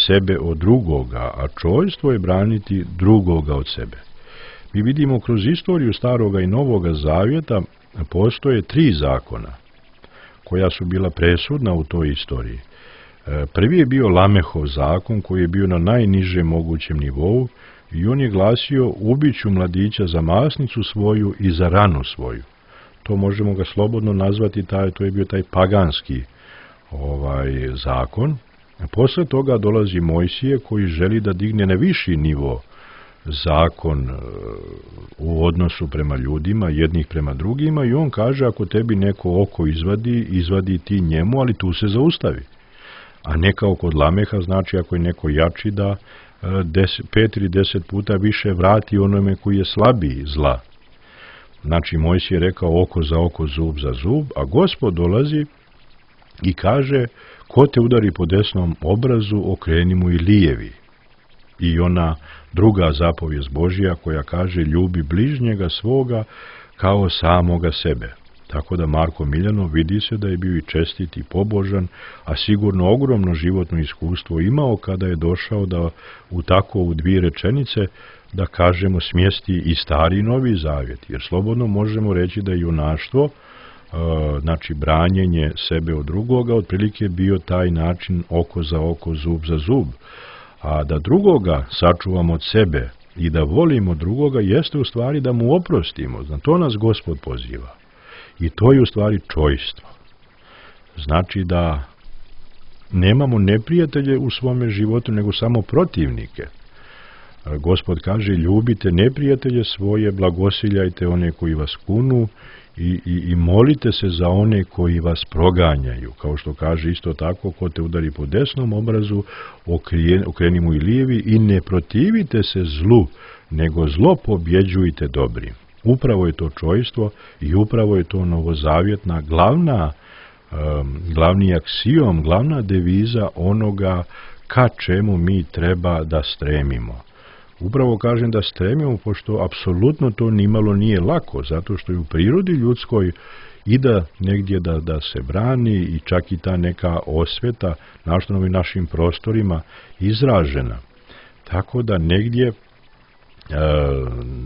sebe od drugoga, a čojstvo je braniti drugoga od sebe. Mi vidimo kroz istoriju Staroga i Novoga Zavjeta postoje 3 zakona koja su bila presudna u toj istoriji. Prvi je bio Lamehov zakon koji je bio na najnižem mogućem nivou i on je glasio ubiću mladića za masnicu svoju i za ranu svoju. To možemo ga slobodno nazvati, to je bio taj paganski zakon. Posle toga dolazi Mojsije koji želi da digne na viši nivo zakon u odnosu prema ljudima, jednih prema drugima, i on kaže ako tebi neko oko izvadi ti njemu, ali tu se zaustavi. A ne kao kod Lameha, znači ako je neko jači da 5 ili 10 puta više vrati onome koji je slabiji zla. Znači Mojsije je rekao oko za oko, zub za zub, a Gospod dolazi i kaže, ko te udari po desnom obrazu, okreni mu i lijevi. I ona druga zapovijest Božja koja kaže, ljubi bližnjega svoga kao samoga sebe. Tako da Marko Miljanov vidi se da je bio i čestit i pobožan, a sigurno ogromno životno iskustvo imao kada je došao da u 2 rečenice, da kažemo, smjesti i Stari i Novi Zavjet. Jer slobodno možemo reći da je junaštvo, znači branjenje sebe od drugoga, otprilike bio taj način oko za oko, zub za zub. A da drugoga sačuvamo od sebe i da volimo drugoga jeste u stvari da mu oprostimo. Na to nas Gospod poziva. I to je u stvari čojstvo. Znači da nemamo neprijatelje u svome životu, nego samo protivnike. Gospod kaže, ljubite neprijatelje svoje, blagosiljajte one koji vas kunu i molite se za one koji vas proganjaju. Kao što kaže isto tako, ko te udari po desnom obrazu, okreni mu i lijevi i ne protivite se zlu, nego zlo pobjeđujte dobrim. Upravo je to čojstvo i upravo je to novozavjetna glavni aksijom, glavna deviza onoga ka čemu mi treba da stremimo. Upravo kažem da stremimo, pošto apsolutno to nimalo nije lako, zato što je u prirodi ljudskoj i da negdje da se brani i čak i ta neka osveta na ovim našim prostorima izražena. Tako da negdje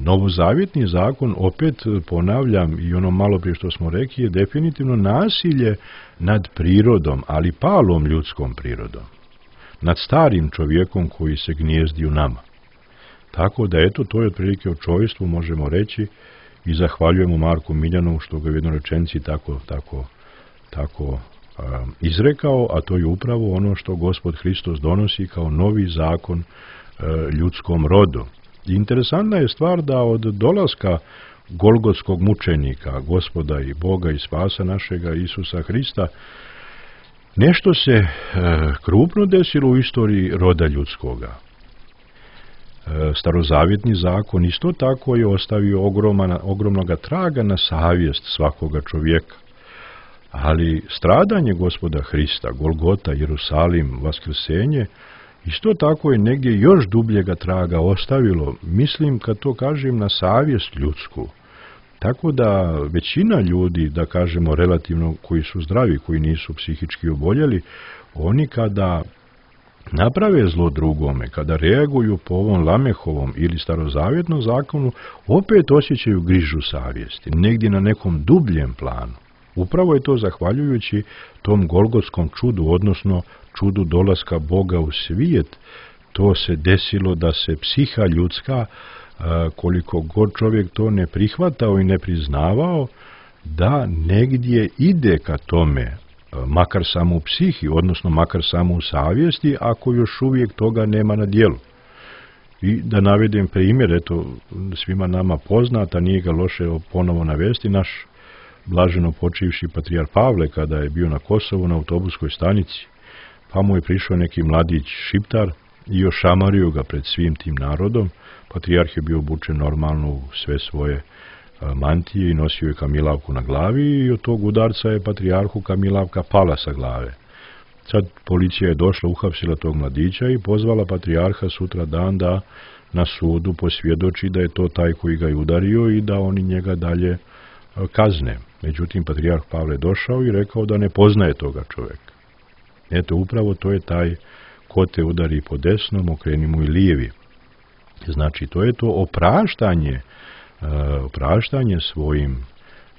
novozavjetni zakon, opet ponavljam i ono malo prije što smo rekli, je definitivno nasilje nad prirodom, ali palom ljudskom prirodom. Nad starim čovjekom koji se gnijezdi u nama. Tako da eto, to je otprilike o čovjestvu, možemo reći, i zahvaljujemo Marku Miljanovu što ga u jednoj rečenici tako izrekao, a to je upravo ono što Gospod Hristos donosi kao novi zakon ljudskom rodu. Interesantna je stvar da od dolaska golgotskog mučenika, Gospoda i Boga i spasa našega Isusa Hrista, nešto se krupno desilo u istoriji roda ljudskoga. Starozavjetni zakon isto tako je ostavio ogromnoga traga na savjest svakoga čovjeka. Ali stradanje Gospoda Hrista, Golgota, Jerusalim, vaskrsenje, isto tako je negdje još dubljega traga ostavilo, mislim kad to kažem, na savjest ljudsku. Tako da većina ljudi, da kažemo relativno koji su zdravi, koji nisu psihički oboljeli, oni kada naprave zlo drugome, kada reaguju po ovom Lamehovom ili starozavjetnom zakonu, opet osjećaju grižu savjesti, negdje na nekom dubljem planu. Upravo je to zahvaljujući tom golgotskom čudu, odnosno čudu dolaska Boga u svijet, to se desilo da se psiha ljudska, koliko god čovjek to ne prihvatao i ne priznavao, da negdje ide ka tome, makar samo u psihi, odnosno makar samo u savjesti, ako još uvijek toga nema na djelu. I da navedem primjer, eto, svima nama poznata, nije ga loše ponovo navesti, naš blaženo počivši patrijarh Pavle, kada je bio na Kosovu na autobuskoj stanici, pa mu je prišao neki mladić šiptar i ošamario ga pred svim tim narodom. Patrijarh je bio obučen normalno u sve svoje mantije i nosio je kamilavku na glavi i od tog udarca je patrijarhu kamilavka pala sa glave. Sad policija je došla, uhapsila tog mladića i pozvala patrijarha sutra dan da na sudu posvjedoči da je to taj koji ga je udario i da oni njega dalje kazne. Međutim, patrijarh Pavle došao i rekao da ne poznaje toga čovjeka. Eto, upravo to je taj ko te udari po desnom, okreni mu i lijevi. Znači, to je to opraštanje svojim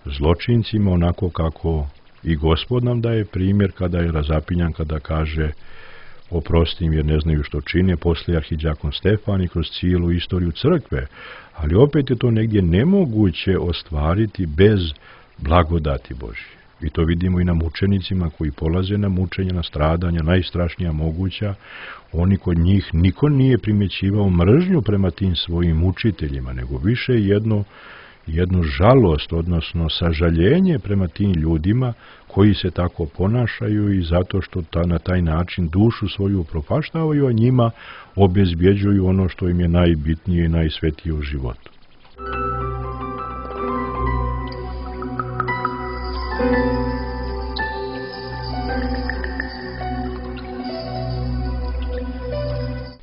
zločincima, onako kako i Gospod nam daje primjer kada je razapinjan, kada kaže oprosti im jer ne znaju što čine, poslije arhidjakon Stefan i kroz cijelu istoriju crkve. Ali opet je to negdje nemoguće ostvariti bez blagodati Božje. I to vidimo i na mučenicima koji polaze na mučenja, na stradanja, najstrašnija moguća. Oni kod njih niko nije primjećivao mržnju prema tim svojim učiteljima, nego više jednu žalost, odnosno sažaljenje prema tim ljudima koji se tako ponašaju i zato što na taj način dušu svoju upropaštavaju, a njima obezbjeđuju ono što im je najbitnije i najsvetije u životu.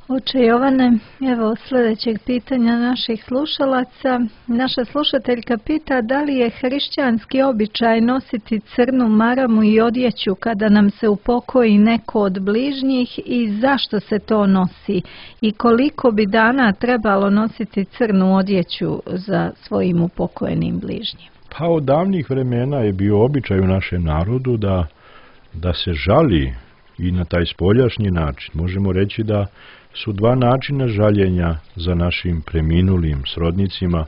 Oče Jovane, evo sljedećeg pitanja naših slušalaca. Naša slušateljka pita da li je hrišćanski običaj nositi crnu maramu i odjeću kada nam se upokoji neko od bližnjih i zašto se to nosi i koliko bi dana trebalo nositi crnu odjeću za svojim upokojenim bližnjim. Pa od davnih vremena je bio običaj u našem narodu da se žali i na taj spoljašnji način. Možemo reći da su dva načina žaljenja za našim preminulim srodnicima,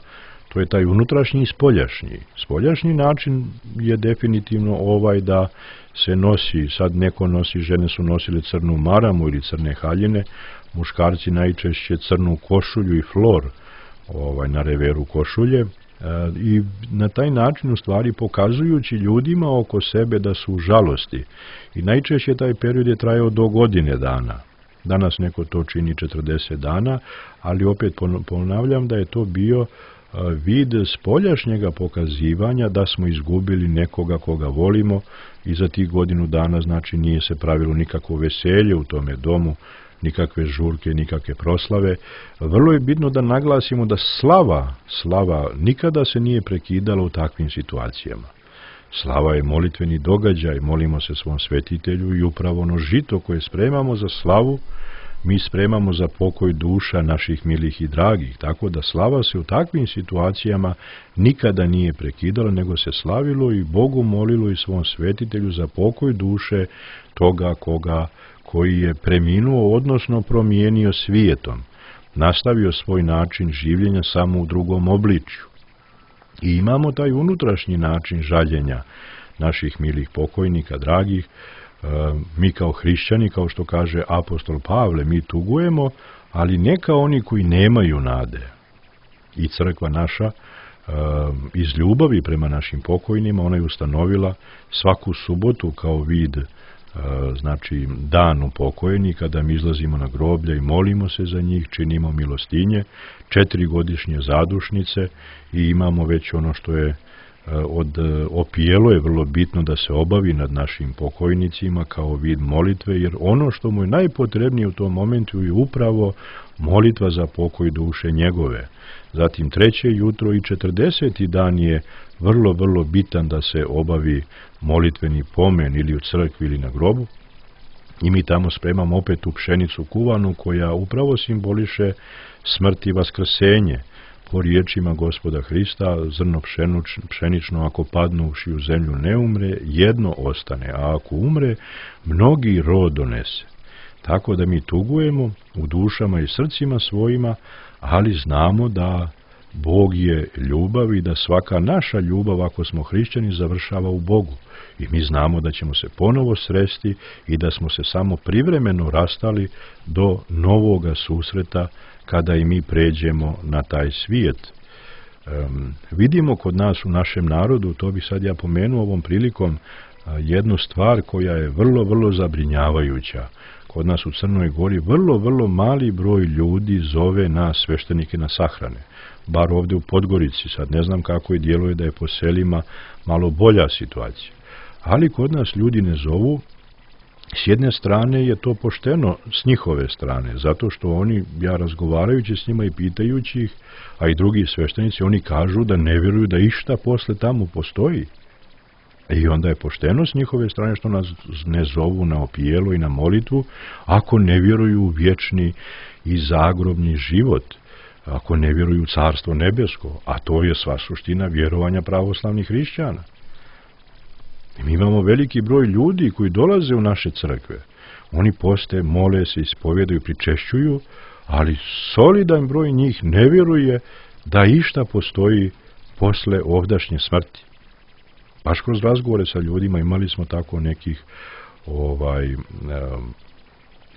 to je taj unutrašnji i spoljašnji. Spoljašnji način je definitivno ovaj da se nosi, sad neko nosi, žene su nosile crnu maramu ili crne haljine, muškarci najčešće crnu košulju i flor na reveru košulje, i na taj način u stvari pokazujući ljudima oko sebe da su u žalosti. I najčešće taj period je trajao do godine dana. Danas neko to čini 40 dana, ali opet ponavljam da je to bio vid spoljašnjega pokazivanja da smo izgubili nekoga koga volimo i za tih godinu dana znači nije se pravilo nikakvo veselje u tome domu, nikakve žurke, nikakve proslave. Vrlo je bitno da naglasimo da slava nikada se nije prekidala u takvim situacijama. Slava je molitveni događaj, molimo se svom svetitelju i upravo ono žito koje spremamo za slavu, mi spremamo za pokoj duša naših milih i dragih, tako da slava se u takvim situacijama nikada nije prekidala, nego se slavilo i Bogu molilo i svom svetitelju za pokoj duše toga koji je preminuo, odnosno promijenio svijetom, nastavio svoj način življenja samo u drugom obličju. I imamo taj unutrašnji način žaljenja naših milih pokojnika, dragih. Mi kao hrišćani, kao što kaže apostol Pavle, mi tugujemo, ali ne kao oni koji nemaju nade. I crkva naša iz ljubavi prema našim pokojnima, ona je ustanovila svaku subotu kao vid, znači dan upokojnika, da mi izlazimo na groblja i molimo se za njih, činimo milostinje, 4 godišnje zadušnice i imamo već ono što je od opijelo je vrlo bitno da se obavi nad našim pokojnicima kao vid molitve, jer ono što mu je najpotrebnije u tom momentu je upravo molitva za pokoj duše njegove. Zatim 3. jutro i 40. dan je vrlo, vrlo bitan da se obavi molitveni pomen ili u crkvi ili na grobu. I mi tamo spremamo opet tu pšenicu kuvanu koja upravo simboliše smrt i vaskrsenje. Po riječima Gospoda Hrista, zrno pšenično ako padnuši u zemlju ne umre, jedno ostane, a ako umre, mnogi rod donese. Tako da mi tugujemo u dušama i srcima svojima, ali znamo da Bog je ljubav i da svaka naša ljubav, ako smo hrišćani, završava u Bogu. I mi znamo da ćemo se ponovo sresti i da smo se samo privremeno rastali do novoga susreta kada i mi pređemo na taj svijet. Vidimo kod nas u našem narodu, to bi sad ja pomenuo ovom prilikom, jednu stvar koja je vrlo, vrlo zabrinjavajuća. Kod nas u Crnoj Gori vrlo, vrlo mali broj ljudi zove na sveštenike na sahrane. Bar ovdje u Podgorici, sad ne znam kako je djeluje da je po selima malo bolja situacija. Ali kod nas ljudi ne zovu. S jedne strane je to pošteno s njihove strane, zato što oni, ja razgovarajući s njima i pitajući ih, a i drugi sveštenici, oni kažu da ne vjeruju da išta posle tamo postoji. I onda je pošteno s njihove strane što nas ne zovu na opijelo i na molitvu, ako ne vjeruju u vječni i zagrobni život, ako ne vjeruju u Carstvo nebesko, a to je sva suština vjerovanja pravoslavnih hrišćana. I mi imamo veliki broj ljudi koji dolaze u naše crkve. Oni poste, mole se, ispovjedaju, pričešćuju, ali solidan broj njih ne vjeruje da išta postoji posle ovdašnje smrti. Baš kroz razgovore sa ljudima imali smo tako nekih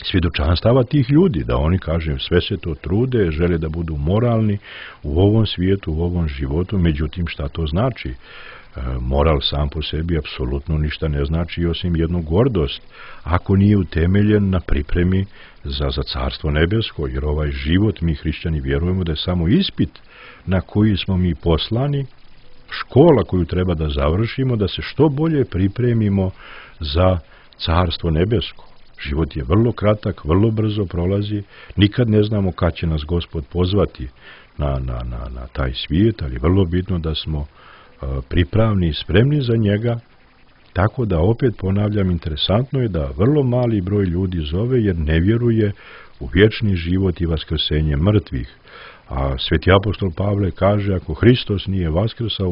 svjedočanstava tih ljudi, da oni, kažem, sve se to trude, žele da budu moralni u ovom svijetu, u ovom životu, međutim šta to znači? Moral sam po sebi apsolutno ništa ne znači osim jednu gordost, ako nije utemeljen na pripremi za Carstvo nebesko, jer ovaj život mi hrišćani vjerujemo da je samo ispit na koji smo mi poslani, škola koju treba da završimo, da se što bolje pripremimo za Carstvo nebesko. Život je vrlo kratak, vrlo brzo prolazi, nikad ne znamo kad će nas Gospod pozvati na taj svijet, ali vrlo bitno da smo pripravni i spremni za njega, tako da opet ponavljam, interesantno je da vrlo mali broj ljudi zove jer ne vjeruje u vječni život i vaskrsenje mrtvih. A sveti apostol Pavle kaže, ako Hristos nije vaskrsao,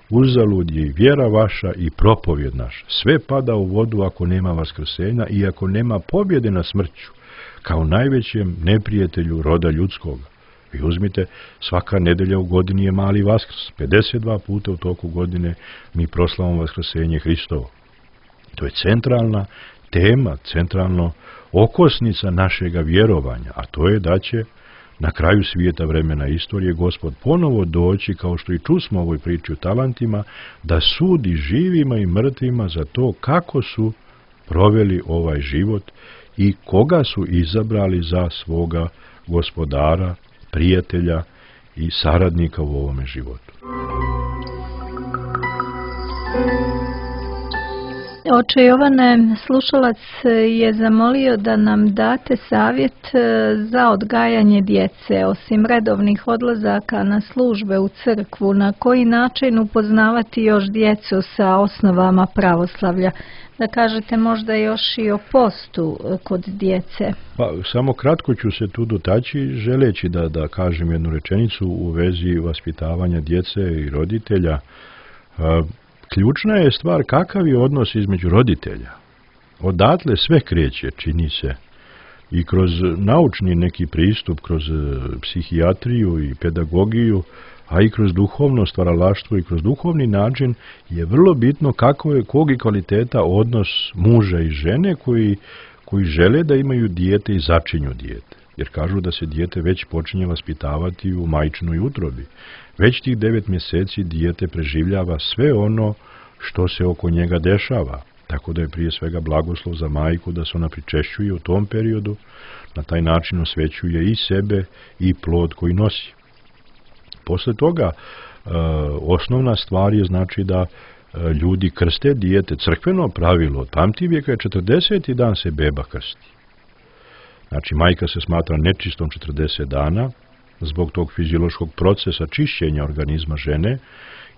uzalud je i vjera vaša i propovjed naša. Sve pada u vodu ako nema vaskrsenja i ako nema pobjede na smrću, kao najvećem neprijatelju roda ljudskog. Vi uzmite, svaka nedelja u godini je mali vaskrs. 52 puta u toku godine mi proslavamo vaskrsenje Hristovo. To je centralna tema, centralno okosnica našega vjerovanja, a to je da će na kraju svijeta, vremena istorije, Gospod ponovo doći, kao što i čusmo u ovoj priči o talentima, da sudi živima i mrtvima za to kako su proveli ovaj život i koga su izabrali za svoga gospodara, prijatelja i saradnika u ovome životu. Oče Jovane, slušalac je zamolio da nam date savjet za odgajanje djece, osim redovnih odlazaka na službe u crkvu, na koji način upoznavati još djecu sa osnovama pravoslavlja. Da kažete možda još i o postu kod djece. Pa, samo kratko ću se tu dotaći, želeći da kažem jednu rečenicu u vezi vaspitavanja djece i roditelja. Ključna je stvar kakav je odnos između roditelja. Odatle sve kreće, čini se. I kroz naučni neki pristup, kroz psihijatriju i pedagogiju, a i kroz duhovno stvaralaštvo i kroz duhovni način je vrlo bitno kog je kvaliteta odnos muža i žene koji žele da imaju dijete i začinju dijete. Jer kažu da se dijete već počinje vaspitavati u majčinoj utrobi. Već tih 9 mjeseci dijete preživljava sve ono što se oko njega dešava. Tako da je prije svega blagoslov za majku da se ona pričešćuje u tom periodu, na taj način osvećuje i sebe i plod koji nosi. Posle toga osnovna stvar je znači da ljudi krste dijete. Crkveno pravilo od pamtivijeka je 40. dan se beba krsti. Znači majka se smatra nečistom 40 dana zbog tog fiziološkog procesa čišćenja organizma žene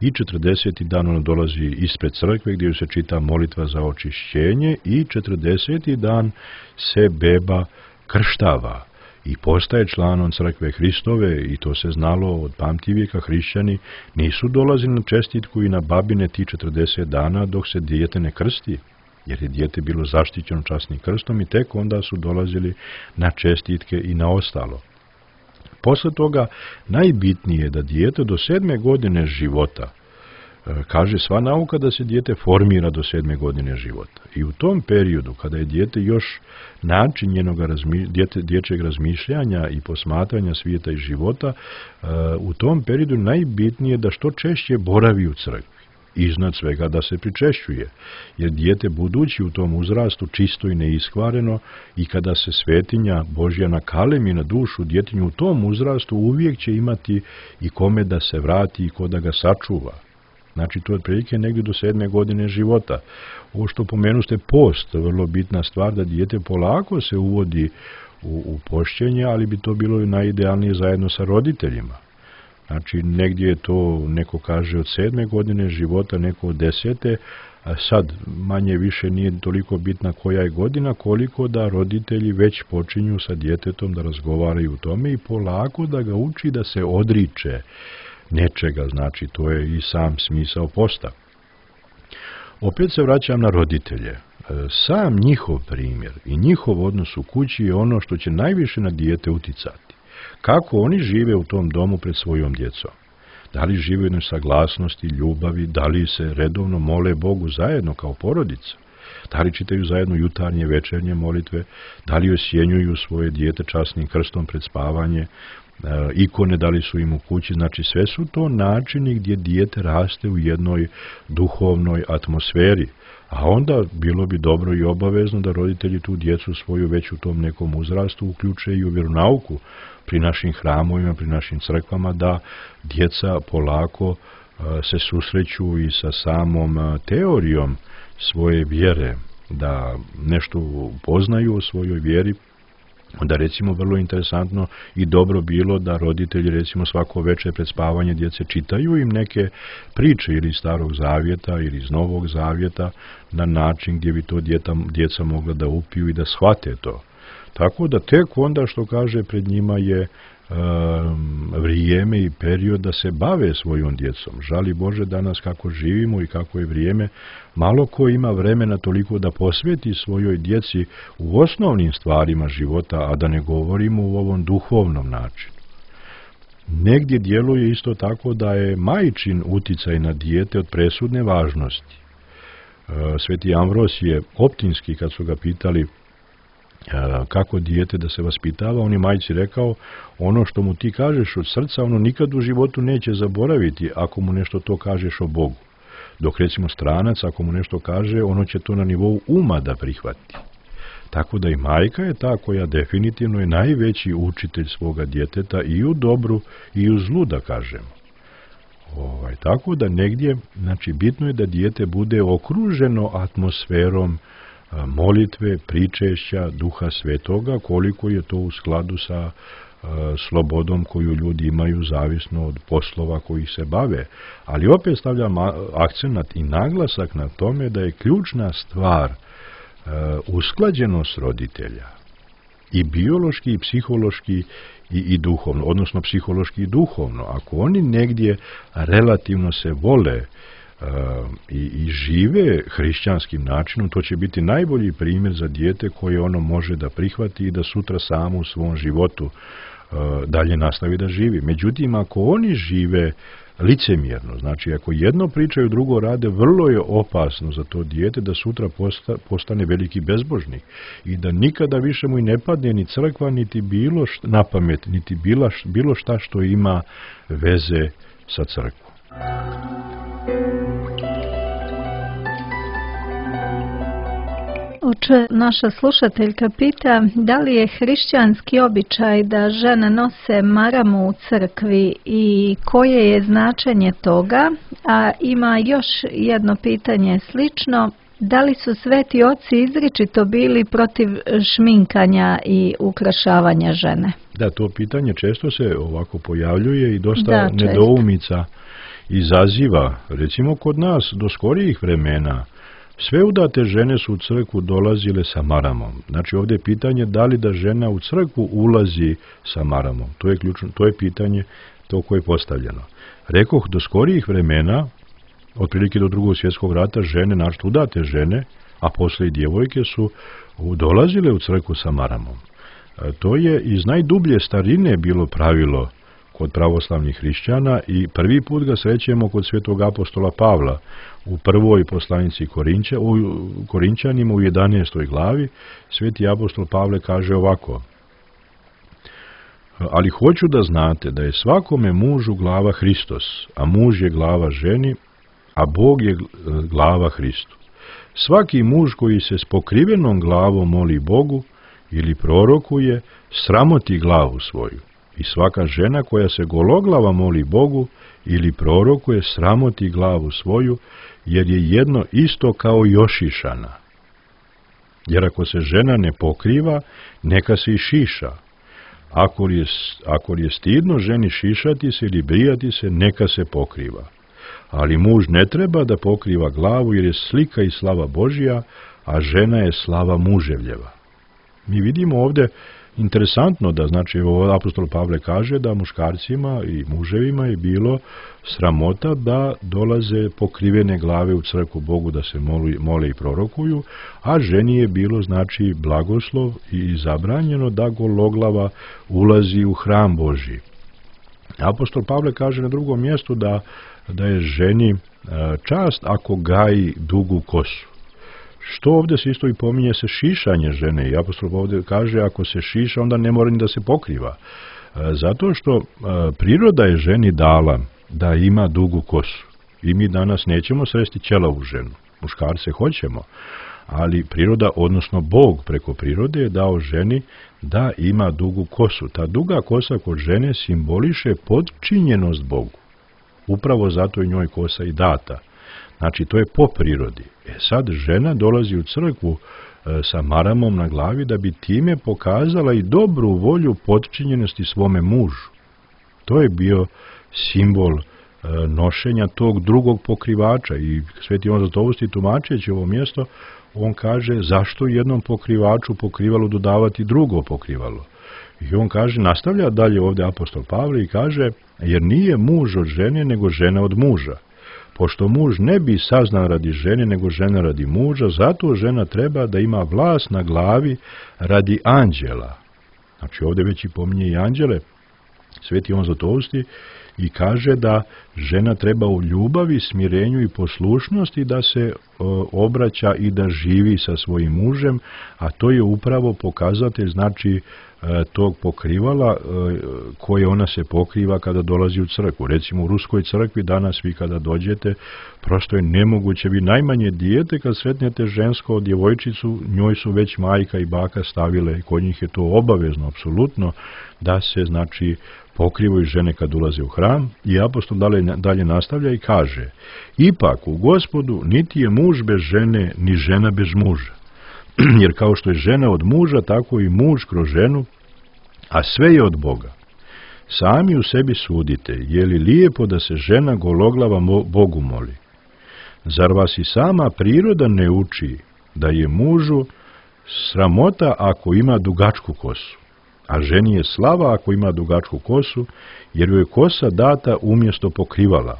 i 40. dan ona dolazi ispred crkve gdje se čita molitva za očišćenje i 40. dan se beba krštava i postaje članom crkve Hristove i to se znalo od pamtivijeka. Hrišćani nisu dolazili na čestitku i na babine ti 40 dana dok se dijete ne krsti, jer je dijete bilo zaštićeno časnim krstom i tek onda su dolazili na čestitke i na ostalo. Posle toga najbitnije je da dijete do 7. godine života, kaže sva nauka da se dijete formira do 7. godine života. I u tom periodu, kada je dijete još način njenog dječjeg razmišljanja i posmatranja svijeta i života, u tom periodu najbitnije je da što češće boravi u crkvi. Iznad svega da se pričešćuje, jer dijete budući u tom uzrastu čisto i neiskvareno i kada se svetinja Božja nakalemi na dušu djetinju u tom uzrastu uvijek će imati i kome da se vrati i ko da ga sačuva. Znači to je otprilike negdje do 7. godine života. Ovo što pomenuste post, vrlo bitna stvar da dijete polako se uvodi u pošćenje, ali bi to bilo najidealnije zajedno sa roditeljima. Znači, negdje je to, neko kaže od 7. godine života, neko od 10. A sad manje više nije toliko bitna koja je godina, koliko da roditelji već počinju sa djetetom da razgovaraju o tome i polako da ga uči da se odriče nečega, znači to je i sam smisao posta. Opet se vraćam na roditelje. Sam njihov primjer i njihov odnos u kući je ono što će najviše na dijete uticati. Kako oni žive u tom domu pred svojom djecom. Da li žive u jednoj saglasnosti, ljubavi, da li se redovno mole Bogu zajedno kao porodica, da li čitaju zajedno jutarnje, večernje molitve, da li osjenjuju svoje dijete časnim krstom pred spavanje, ikone da li su im u kući, znači sve su to načini gdje dijete raste u jednoj duhovnoj atmosferi. A onda bilo bi dobro i obavezno da roditelji tu djecu svoju već u tom nekom uzrastu uključe i u vjeronauku pri našim hramovima, pri našim crkvama, da djeca polako se susreću i sa samom teorijom svoje vjere, da nešto poznaju o svojoj vjeri. Onda recimo vrlo interesantno i dobro bilo da roditelji recimo svako večer pred spavanje djece čitaju im neke priče ili iz Starog Zavjeta ili iz Novog Zavjeta na način gdje bi to djeca mogla da upiju i da shvate to. Tako da tek onda što kaže pred njima je vrijeme i period da se bave svojom djecom. Žali Bože danas kako živimo i kako je vrijeme, malo ko ima vremena toliko da posveti svojoj djeci u osnovnim stvarima života, a da ne govorimo u ovom duhovnom načinu. Negdje djeluje isto tako da je majčin uticaj na dijete od presudne važnosti. Sveti Ambros je Optinski, kad su ga pitali kako dijete da se vaspitava, on je majci rekao, ono što mu ti kažeš od srca, ono nikad u životu neće zaboraviti ako mu nešto to kažeš o Bogu. Dok recimo stranac, ako mu nešto kaže, ono će to na nivou uma da prihvati. Tako da i majka je ta koja definitivno je najveći učitelj svoga djeteta i u dobru i u zlu, da kažemo. Tako da negdje, znači bitno je da dijete bude okruženo atmosferom molitve, pričešća, Duha Svetoga, koliko je to u skladu sa slobodom koju ljudi imaju zavisno od poslova koji se bave. Ali opet stavljam akcenat i naglasak na tome da je ključna stvar usklađenost roditelja i biološki i psihološki i duhovno, odnosno psihološki i duhovno. Ako oni negdje relativno se vole i žive hrišćanskim načinom, to će biti najbolji primjer za dijete koje ono može da prihvati i da sutra samo u svom životu dalje nastavi da živi. Međutim, ako oni žive licemjerno, znači ako jedno pričaju, drugo rade, vrlo je opasno za to dijete da sutra postane veliki bezbožnik i da nikada više mu i ne padne ni crkva, niti bilo na pamet, niti bilo šta što ima veze sa crkvom. Oče, naša slušateljka pita da li je hrišćanski običaj da žene nose maramu u crkvi i koje je značenje toga, a ima još jedno pitanje slično, da li su sveti oci izričito bili protiv šminkanja i ukrašavanja žene? Da, to pitanje često se ovako pojavljuje i dosta nedoumica izaziva. Recimo kod nas do skorijih vremena sve udate žene su u crkvu dolazile sa maramom. Znači ovdje je pitanje da li da žena u crkvu ulazi sa maramom. To je ključno, to je pitanje to koje je postavljeno. Rekoh, do skorijih vremena, otprilike do Drugog svjetskog rata, žene, znači udate žene, a poslije i djevojke su dolazile u crkvu sa maramom. To je iz najdublje starine bilo pravilo kod pravoslavnih hrišćana i prvi put ga srećemo kod svetog apostola Pavla u prvoj poslanici Korinčanima u 11. glavi. Sveti apostol Pavle kaže ovako: ali hoću da znate da je svakome mužu glava Hristos, a muž je glava ženi, a Bog je glava Hristu. Svaki muž koji se s pokrivenom glavom moli Bogu ili prorokuje, sramoti glavu svoju. I svaka žena koja se gologlava moli Bogu ili prorokuje, sramoti glavu svoju, jer je jedno isto kao jošišana. Jer ako se žena ne pokriva, neka se i šiša. Ako je stidno ženi šišati se ili brijati se, neka se pokriva. Ali muž ne treba da pokriva glavu, jer je slika i slava Božja, a žena je slava muževljeva. Mi vidimo ovdje interesantno da, znači, apostol Pavle kaže da muškarcima i muževima je bilo sramota da dolaze pokrivene glave u crkvu Bogu da se mole i prorokuju, a ženi je bilo, znači, blagoslov i zabranjeno da gologlava ulazi u hram Božji. Apostol Pavle kaže na drugom mjestu da je ženi čast ako gaji dugu kosu. Što ovdje se isto i pominje se šišanje žene i apostol ovdje kaže ako se šiša onda ne mora ni da se pokriva. Zato što priroda je ženi dala da ima dugu kosu i mi danas nećemo sresti ćelavu ženu, muškarce hoćemo, ali priroda, odnosno Bog preko prirode je dao ženi da ima dugu kosu. Ta duga kosa kod žene simboliše podčinjenost Bogu. Upravo zato je njoj kosa i data. Znači, to je po prirodi. Sad žena dolazi u crkvu sa maramom na glavi da bi time pokazala i dobru volju podčinjenosti svome mužu. To je bio simbol nošenja tog drugog pokrivača i Sveti Ivan Zlatousti tumačeći ovo mjesto, on kaže zašto jednom pokrivaču pokrivalo dodavati drugo pokrivalo. I on kaže, nastavlja dalje ovdje apostol Pavle i kaže, jer nije muž od žene nego žena od muža. Pošto muž ne bi saznan radi žene, nego žena radi muža, zato žena treba da ima vlast na glavi radi anđela. Znači ovdje već i pominje i anđele, Sveti Ivan Zlatousti, i kaže da žena treba u ljubavi, smirenju i poslušnosti da se obraća i da živi sa svojim mužem, a to je upravo pokazatelj, znači, tog pokrivala koje ona se pokriva kada dolazi u crkvu. Recimo u Ruskoj crkvi danas vi kada dođete, prosto je nemoguće, vi najmanje dijete kad sretnete žensko djevojčicu, njoj su već majka i baka stavile, kod njih je to obavezno, apsolutno, da se, znači, pokrivaju žene kad ulaze u hram. I apostol dalje nastavlja i kaže: ipak u Gospodu niti je muž bez žene, ni žena bez muža. Jer kao što je žena od muža, tako i muž kroz ženu, a sve je od Boga. Sami u sebi sudite, je li lijepo da se žena gologlava Bogu moli? Zar vas i sama priroda ne uči da je mužu sramota ako ima dugačku kosu, a ženi je slava ako ima dugačku kosu, jer joj je kosa data umjesto pokrivala?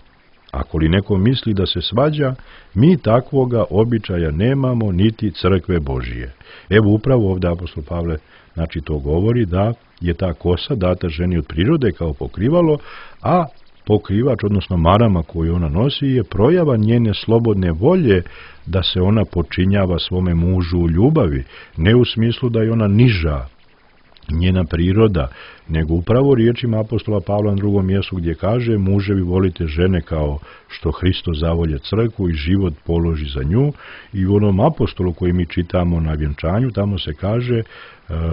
Ako li neko misli da se svađa, mi takvoga običaja nemamo, niti crkve Božije. Evo upravo ovdje apostol Pavle, znači, to govori da je ta kosa data ženi od prirode kao pokrivalo, a pokrivač, odnosno marama koju ona nosi, je projava njene slobodne volje da se ona počinjava svome mužu u ljubavi, ne u smislu da je ona niža, njena priroda, nego upravo riječima apostola Pavla na drugom mjestu gdje kaže: muževi volite žene kao što Hristo zavolje crkvu i život položi za nju. I u onom apostolu koji mi čitamo na vjenčanju, tamo se kaže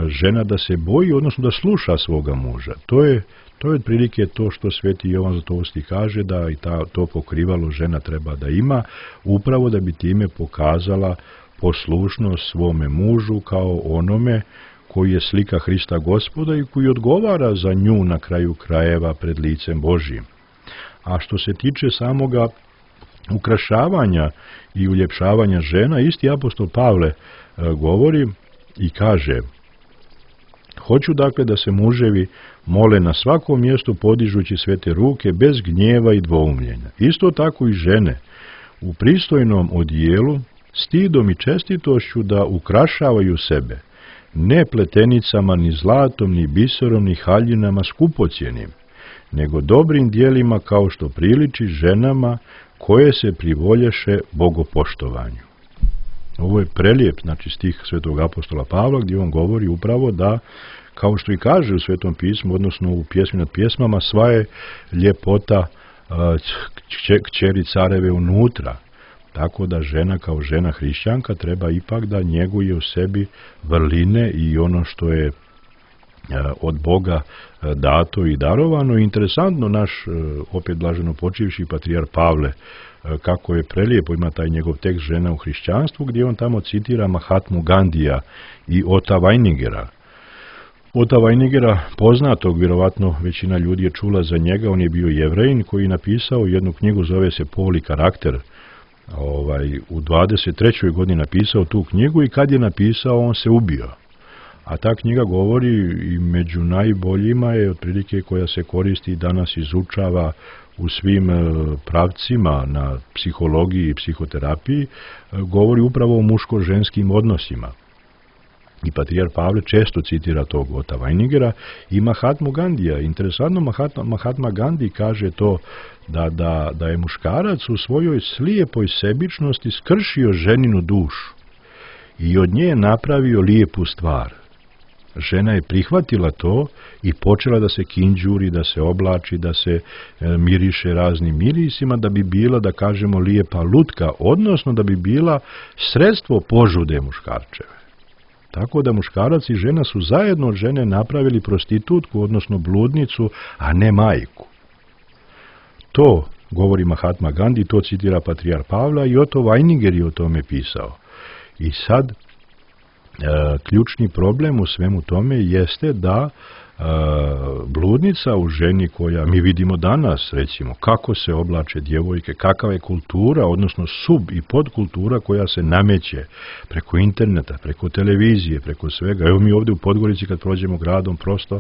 žena da se boji, odnosno da sluša svoga muža. To je otprilike to što sveti Jovan Zlatovski kaže, da i to pokrivalo žena treba da ima, upravo da bi time pokazala poslušnost svome mužu kao onome koji je slika Hrista Gospoda i koji odgovara za nju na kraju krajeva pred licem Božijim. A što se tiče samoga ukrašavanja i uljepšavanja žena, isti apostol Pavle govori i kaže: hoću dakle da se muževi mole na svakom mjestu podižući svete ruke bez gnjeva i dvoumljenja. Isto tako i žene u pristojnom odijelu, stidom i čestitošću da ukrašavaju sebe, ne pletenicama, ni zlatom, ni biserom, ni haljinama skupocjenim, nego dobrim dijelima kao što priliči ženama koje se privolješe bogopoštovanju. Ovo je prelijep, znači, stih svetog apostola Pavla, gdje on govori upravo da, kao što i kaže u Svetom pismu, odnosno u Pjesmi nad pjesmama, sva je ljepota kćeri careve unutra. Tako da žena kao žena hrišćanka treba ipak da njeguje u sebi vrline i ono što je od Boga dato i darovano. Interesantno, naš opet blaženo počivši patrijar Pavle, kako je prelijepo, ima taj njegov tekst Žena u hrišćanstvu, gdje on tamo citira Mahatmu Gandija i Ota Weiningera. Ota Weiningera, poznatog, vjerovatno većina ljudi je čula za njega, on je bio Jevrejin koji je napisao jednu knjigu, zove se Pol i karakter. U 23. godini napisao tu knjigu i kad je napisao, on se ubio. A ta knjiga govori i među najboljima je otprilike koja se koristi i danas izučava u svim pravcima na psihologiji i psihoterapiji, govori upravo o muško-ženskim odnosima. I patrijar Pavle često citira tog Ota Weiningera i Mahatmu Gandija. Interesantno, Mahatma Gandhi kaže to da je muškarac u svojoj slijepoj sebičnosti skršio ženinu dušu i od nje je napravio lijepu stvar. Žena je prihvatila to i počela da se kinđuri, da se oblači, da se miriše raznim mirisima, da bi bila, da kažemo, lijepa lutka, odnosno da bi bila sredstvo požude muškarčeve. Tako da muškarac i žena su zajedno od žene napravili prostitutku, odnosno bludnicu, a ne majku. To govori Mahatma Gandhi, to citira patrijar Pavla i Otto Weininger je o tome pisao. I sad, ključni problem u svemu tome jeste da bludnica u ženi koja mi vidimo danas, recimo, kako se oblače djevojke, kakva je kultura, odnosno sub i podkultura koja se nameće preko interneta, preko televizije, preko svega. Evo mi ovdje u Podgorici kad prođemo gradom, prosto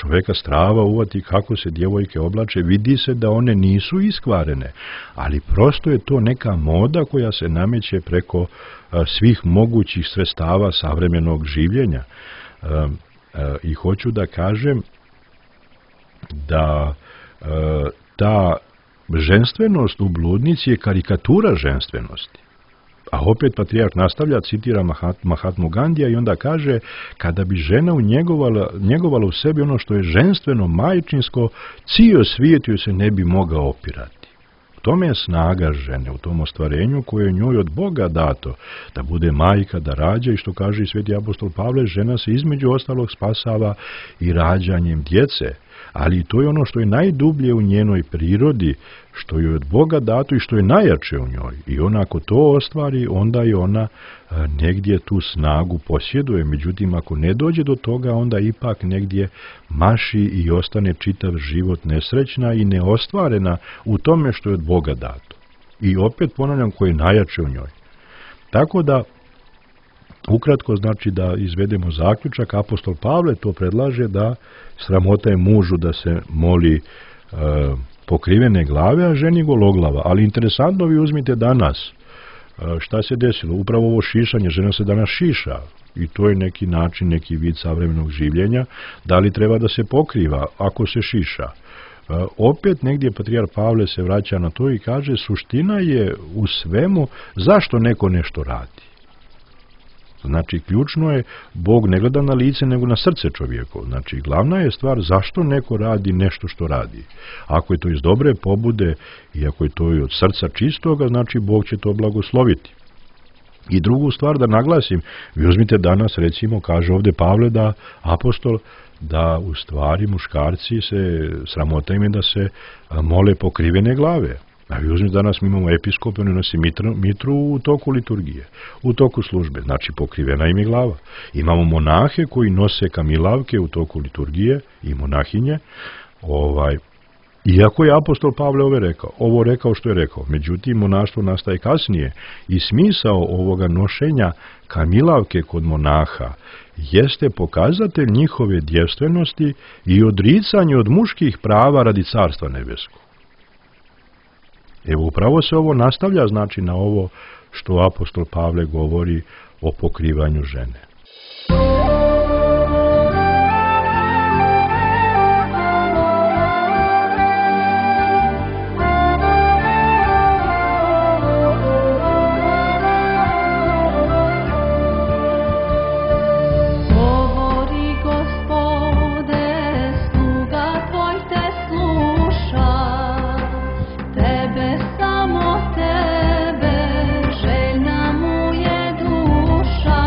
čovjeka strava uvati kako se djevojke oblače, vidi se da one nisu iskvarene, ali prosto je to neka moda koja se nameće preko svih mogućih sredstava savremenog življenja. I hoću da kažem da ta ženstvenost u bludnici je karikatura ženstvenosti. A opet patrijarh nastavlja, citira Mahatmu Gandija i onda kaže, kada bi žena njegovala u sebi ono što je ženstveno, majčinsko, cijel svijet joj se ne bi mogao opirati. U tome je snaga žene, u tom ostvarenju koje je njoj od Boga dato, da bude majka, da rađa, i što kaže i sveti apostol Pavle, žena se između ostalog spasava i rađanjem djece. Ali to je ono što je najdublje u njenoj prirodi, što je od Boga dato i što je najjače u njoj. I ona ako to ostvari, onda je ona negdje tu snagu posjeduje. Međutim, ako ne dođe do toga, onda ipak negdje maši i ostane čitav život nesrećna i neostvarena u tome što je od Boga dato. I opet ponavljam, koje je najjače u njoj. Tako da, ukratko, znači da izvedemo zaključak, apostol Pavle to predlaže da sramota je mužu da se moli pokrivene glave, a ženi gologlava. Ali interesantno, vi uzmite danas šta se desilo. Upravo ovo šišanje, žena se danas šiša i to je neki način, neki vid savremenog življenja. Da li treba da se pokriva ako se šiša? Opet negdje patrijarh Pavle se vraća na to i kaže, suština je u svemu zašto neko nešto radi. Znači, ključno je, Bog ne gleda na lice, nego na srce čovjeko. Znači, glavna je stvar zašto neko radi nešto što radi. Ako je to iz dobre pobude i ako je to od srca čistoga, znači Bog će to blagosloviti. I drugu stvar da naglasim, vi uzmite danas, recimo, kaže ovdje Pavle da apostol, da u stvari muškarci se, sramota im je da se mole pokrivene glave. A vi uzmite danas, mi imamo episkope, oni nosi mitru u toku liturgije, u toku službe, znači pokrivena im je glava. Imamo monahe koji nose kamilavke u toku liturgije i monahinje, iako je apostol Pavle ovo rekao što je rekao. Međutim, monaštvo nastaje kasnije i smisao ovoga nošenja kamilavke kod monaha jeste pokazatelj njihove djevstvenosti i odricanje od muških prava radi carstva nebeskog. Evo, upravo se ovo nastavlja, znači, na ovo što apostol Pavle govori o pokrivanju žene. Tebe, željna mu je duša.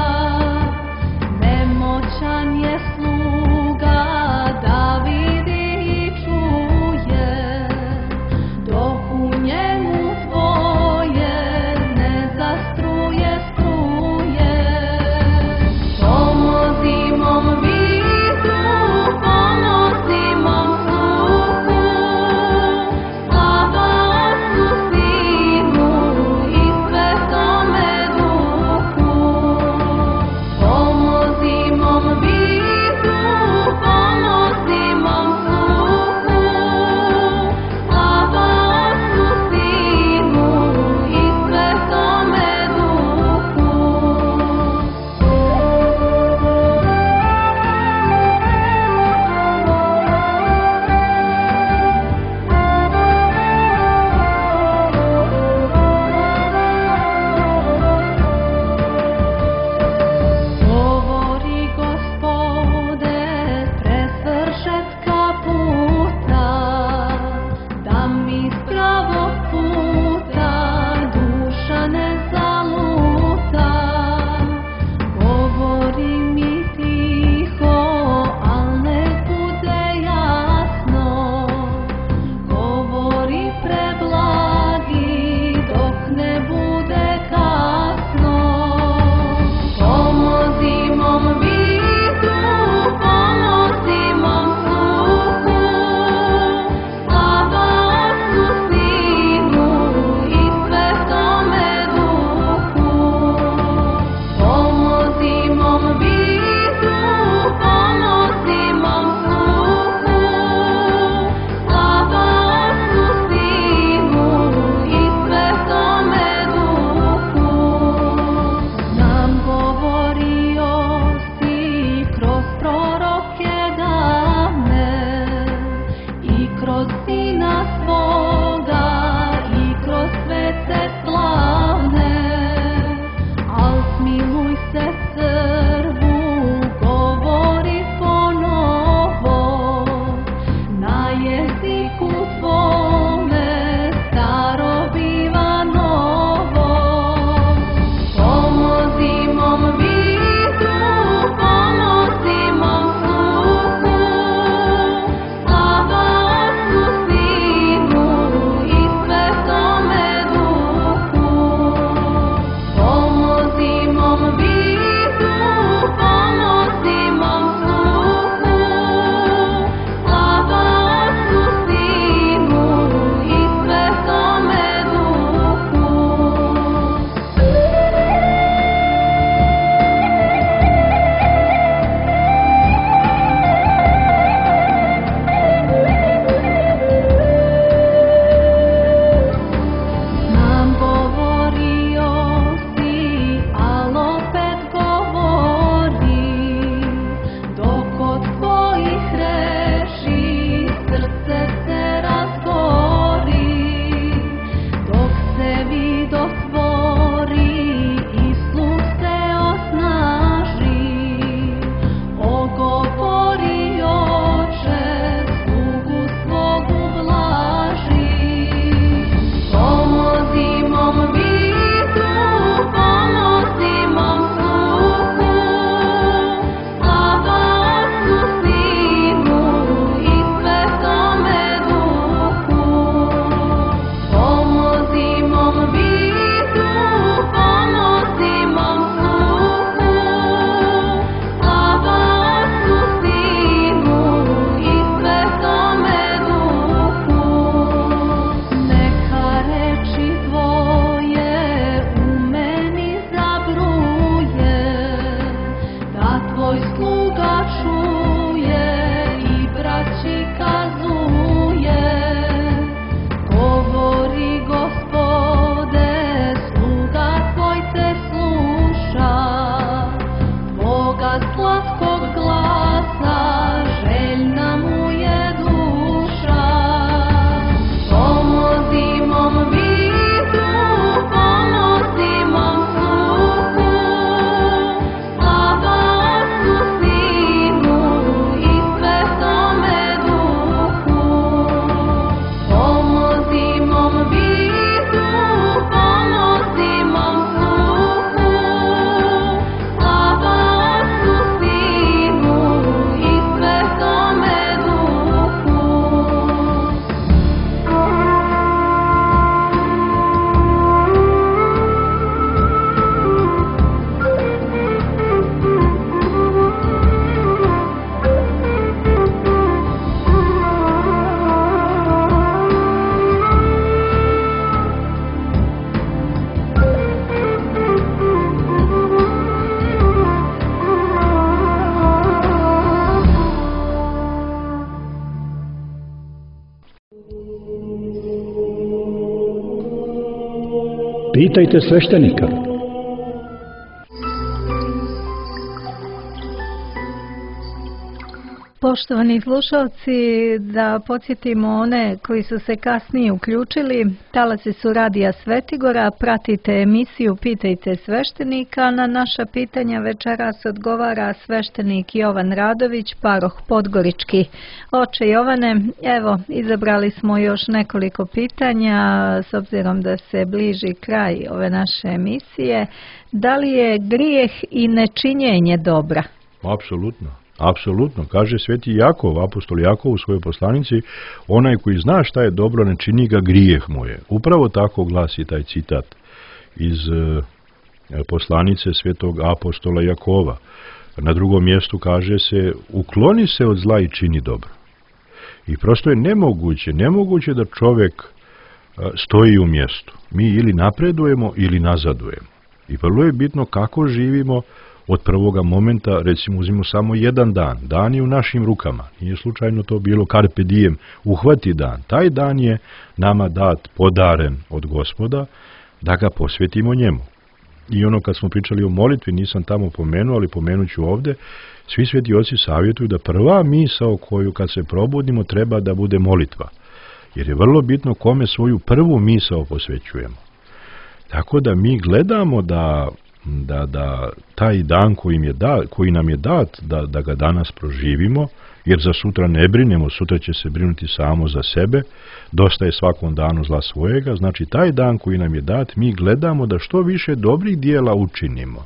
Pitajte sveštenika. Poštovani slušalci, da podsjetimo one koji su se kasnije uključili, talasi su Radija Svetigora, pratite emisiju Pitajte sveštenika. Na naša pitanja večeras odgovara sveštenik Jovan Radović, paroh Podgorički. Oče Jovane, evo, izabrali smo još nekoliko pitanja, s obzirom da se bliži kraj ove naše emisije. Da li je grijeh i nečinjenje dobra? Apsolutno. Apsolutno, kaže sveti Jakov, apostol Jakov u svojoj poslanici, onaj koji zna šta je dobro, ne čini ga, grijeh mu je. Upravo tako glasi taj citat iz poslanice svetog apostola Jakova. Na drugom mjestu kaže se, ukloni se od zla i čini dobro. I prosto je nemoguće da čovjek stoji u mjestu. Mi ili napredujemo ili nazadujemo. I vrlo je bitno kako živimo od prvoga momenta, recimo uzmimo samo jedan dan. Dan je u našim rukama. Nije slučajno to bilo carpe diem, uhvati dan. Taj dan je nama dat, podaren od Gospoda, da ga posvetimo njemu. I ono kad smo pričali o molitvi, nisam tamo pomenuo, ali pomenut ću ovdje, svi sveti oci savjetuju da prva misao koju kad se probudimo treba da bude molitva. Jer je vrlo bitno kome svoju prvu misao posvećujemo. Tako da mi gledamo da taj dan koji nam je dat, da ga danas proživimo, jer za sutra ne brinemo, sutra će se brinuti samo za sebe, dosta je svakom danu zla svojega, znači taj dan koji nam je dat, mi gledamo da što više dobrih dijela učinimo.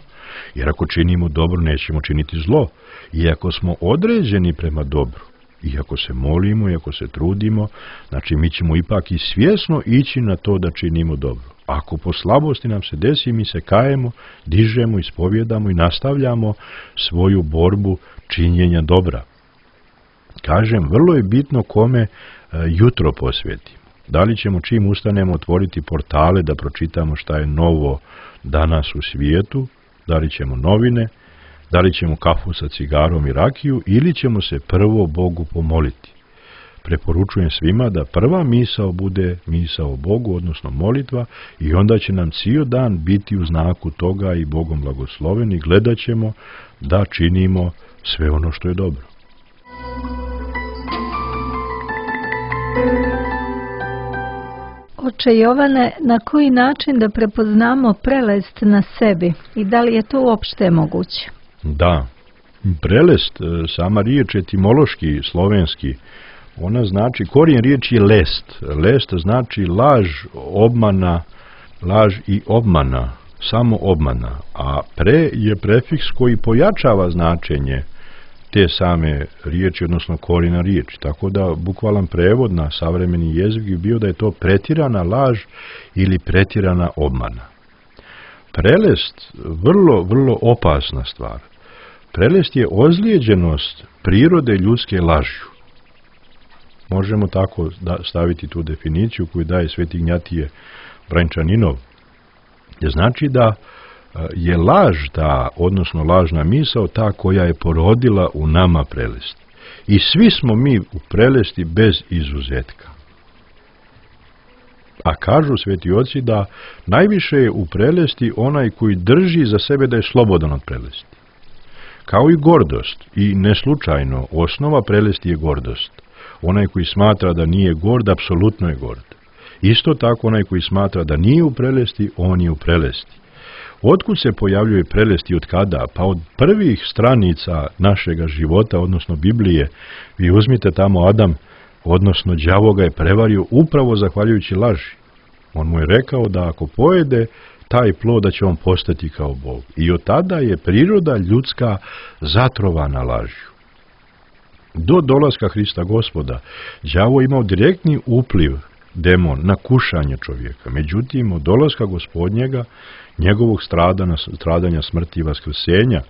Jer ako činimo dobro, nećemo činiti zlo. I ako smo određeni prema dobru, i ako se molimo, i ako se trudimo, znači mi ćemo ipak i svjesno ići na to da činimo dobro. Ako po slabosti nam se desi, mi se kajemo, dižemo, ispovjedamo i nastavljamo svoju borbu činjenja dobra. Kažem, vrlo je bitno kome jutro posvetimo. Da li ćemo čim ustanemo otvoriti portale da pročitamo šta je novo danas u svijetu, da li ćemo novine, da li ćemo kafu sa cigarom i rakiju ili ćemo se prvo Bogu pomoliti. Preporučujem svima da prva misao bude misao Bogu, odnosno molitva, i onda će nam cijel dan biti u znaku toga i Bogom blagosloveni. Gledat ćemo da činimo sve ono što je dobro. Oče Jovane, na koji način da prepoznamo prelest na sebi i da li je to uopšte moguće? Da, prelest, sama riječ etimološki, slovenski, ona znači, korijen riječ je lest. Lest znači laž, obmana, laž i obmana, samo obmana. A pre je prefiks koji pojačava značenje te same riječi, odnosno korijena riječi. Tako da bukvalan prevod na savremeni jezik bi bio da je to pretirana laž ili pretirana obmana. Prelest, vrlo opasna stvar. Prelest je ozlijeđenost prirode ljudske lažju. Možemo tako staviti tu definiciju koju daje sveti Ignjatije Brančaninov. Znači da je laž odnosno lažna misao ta koja je porodila u nama prelest. I svi smo mi u prelesti bez izuzetka. A kažu sveti oci da najviše je u prelesti onaj koji drži za sebe da je slobodan od prelesti. Kao i gordost, i neslučajno, osnova prelesti je gordost. Onaj koji smatra da nije gord, apsolutno je gord. Isto tako onaj koji smatra da nije u prelesti, on je u prelesti. Otkud se pojavljuje prelest i od kada? Pa od prvih stranica našega života, odnosno Biblije. Vi uzmite tamo Adam, odnosno đavo ga je prevario upravo zahvaljujući laži. On mu je rekao da ako pojede taj plod da će on postati kao Bog. I od tada je priroda ljudska zatrovana lažju. Do dolaska Hrista Gospoda, đavo imao direktni upliv, demon, na kušanje čovjeka. Međutim, od dolaska Gospodnjega, njegovog stradanja, smrti i vaskrsenja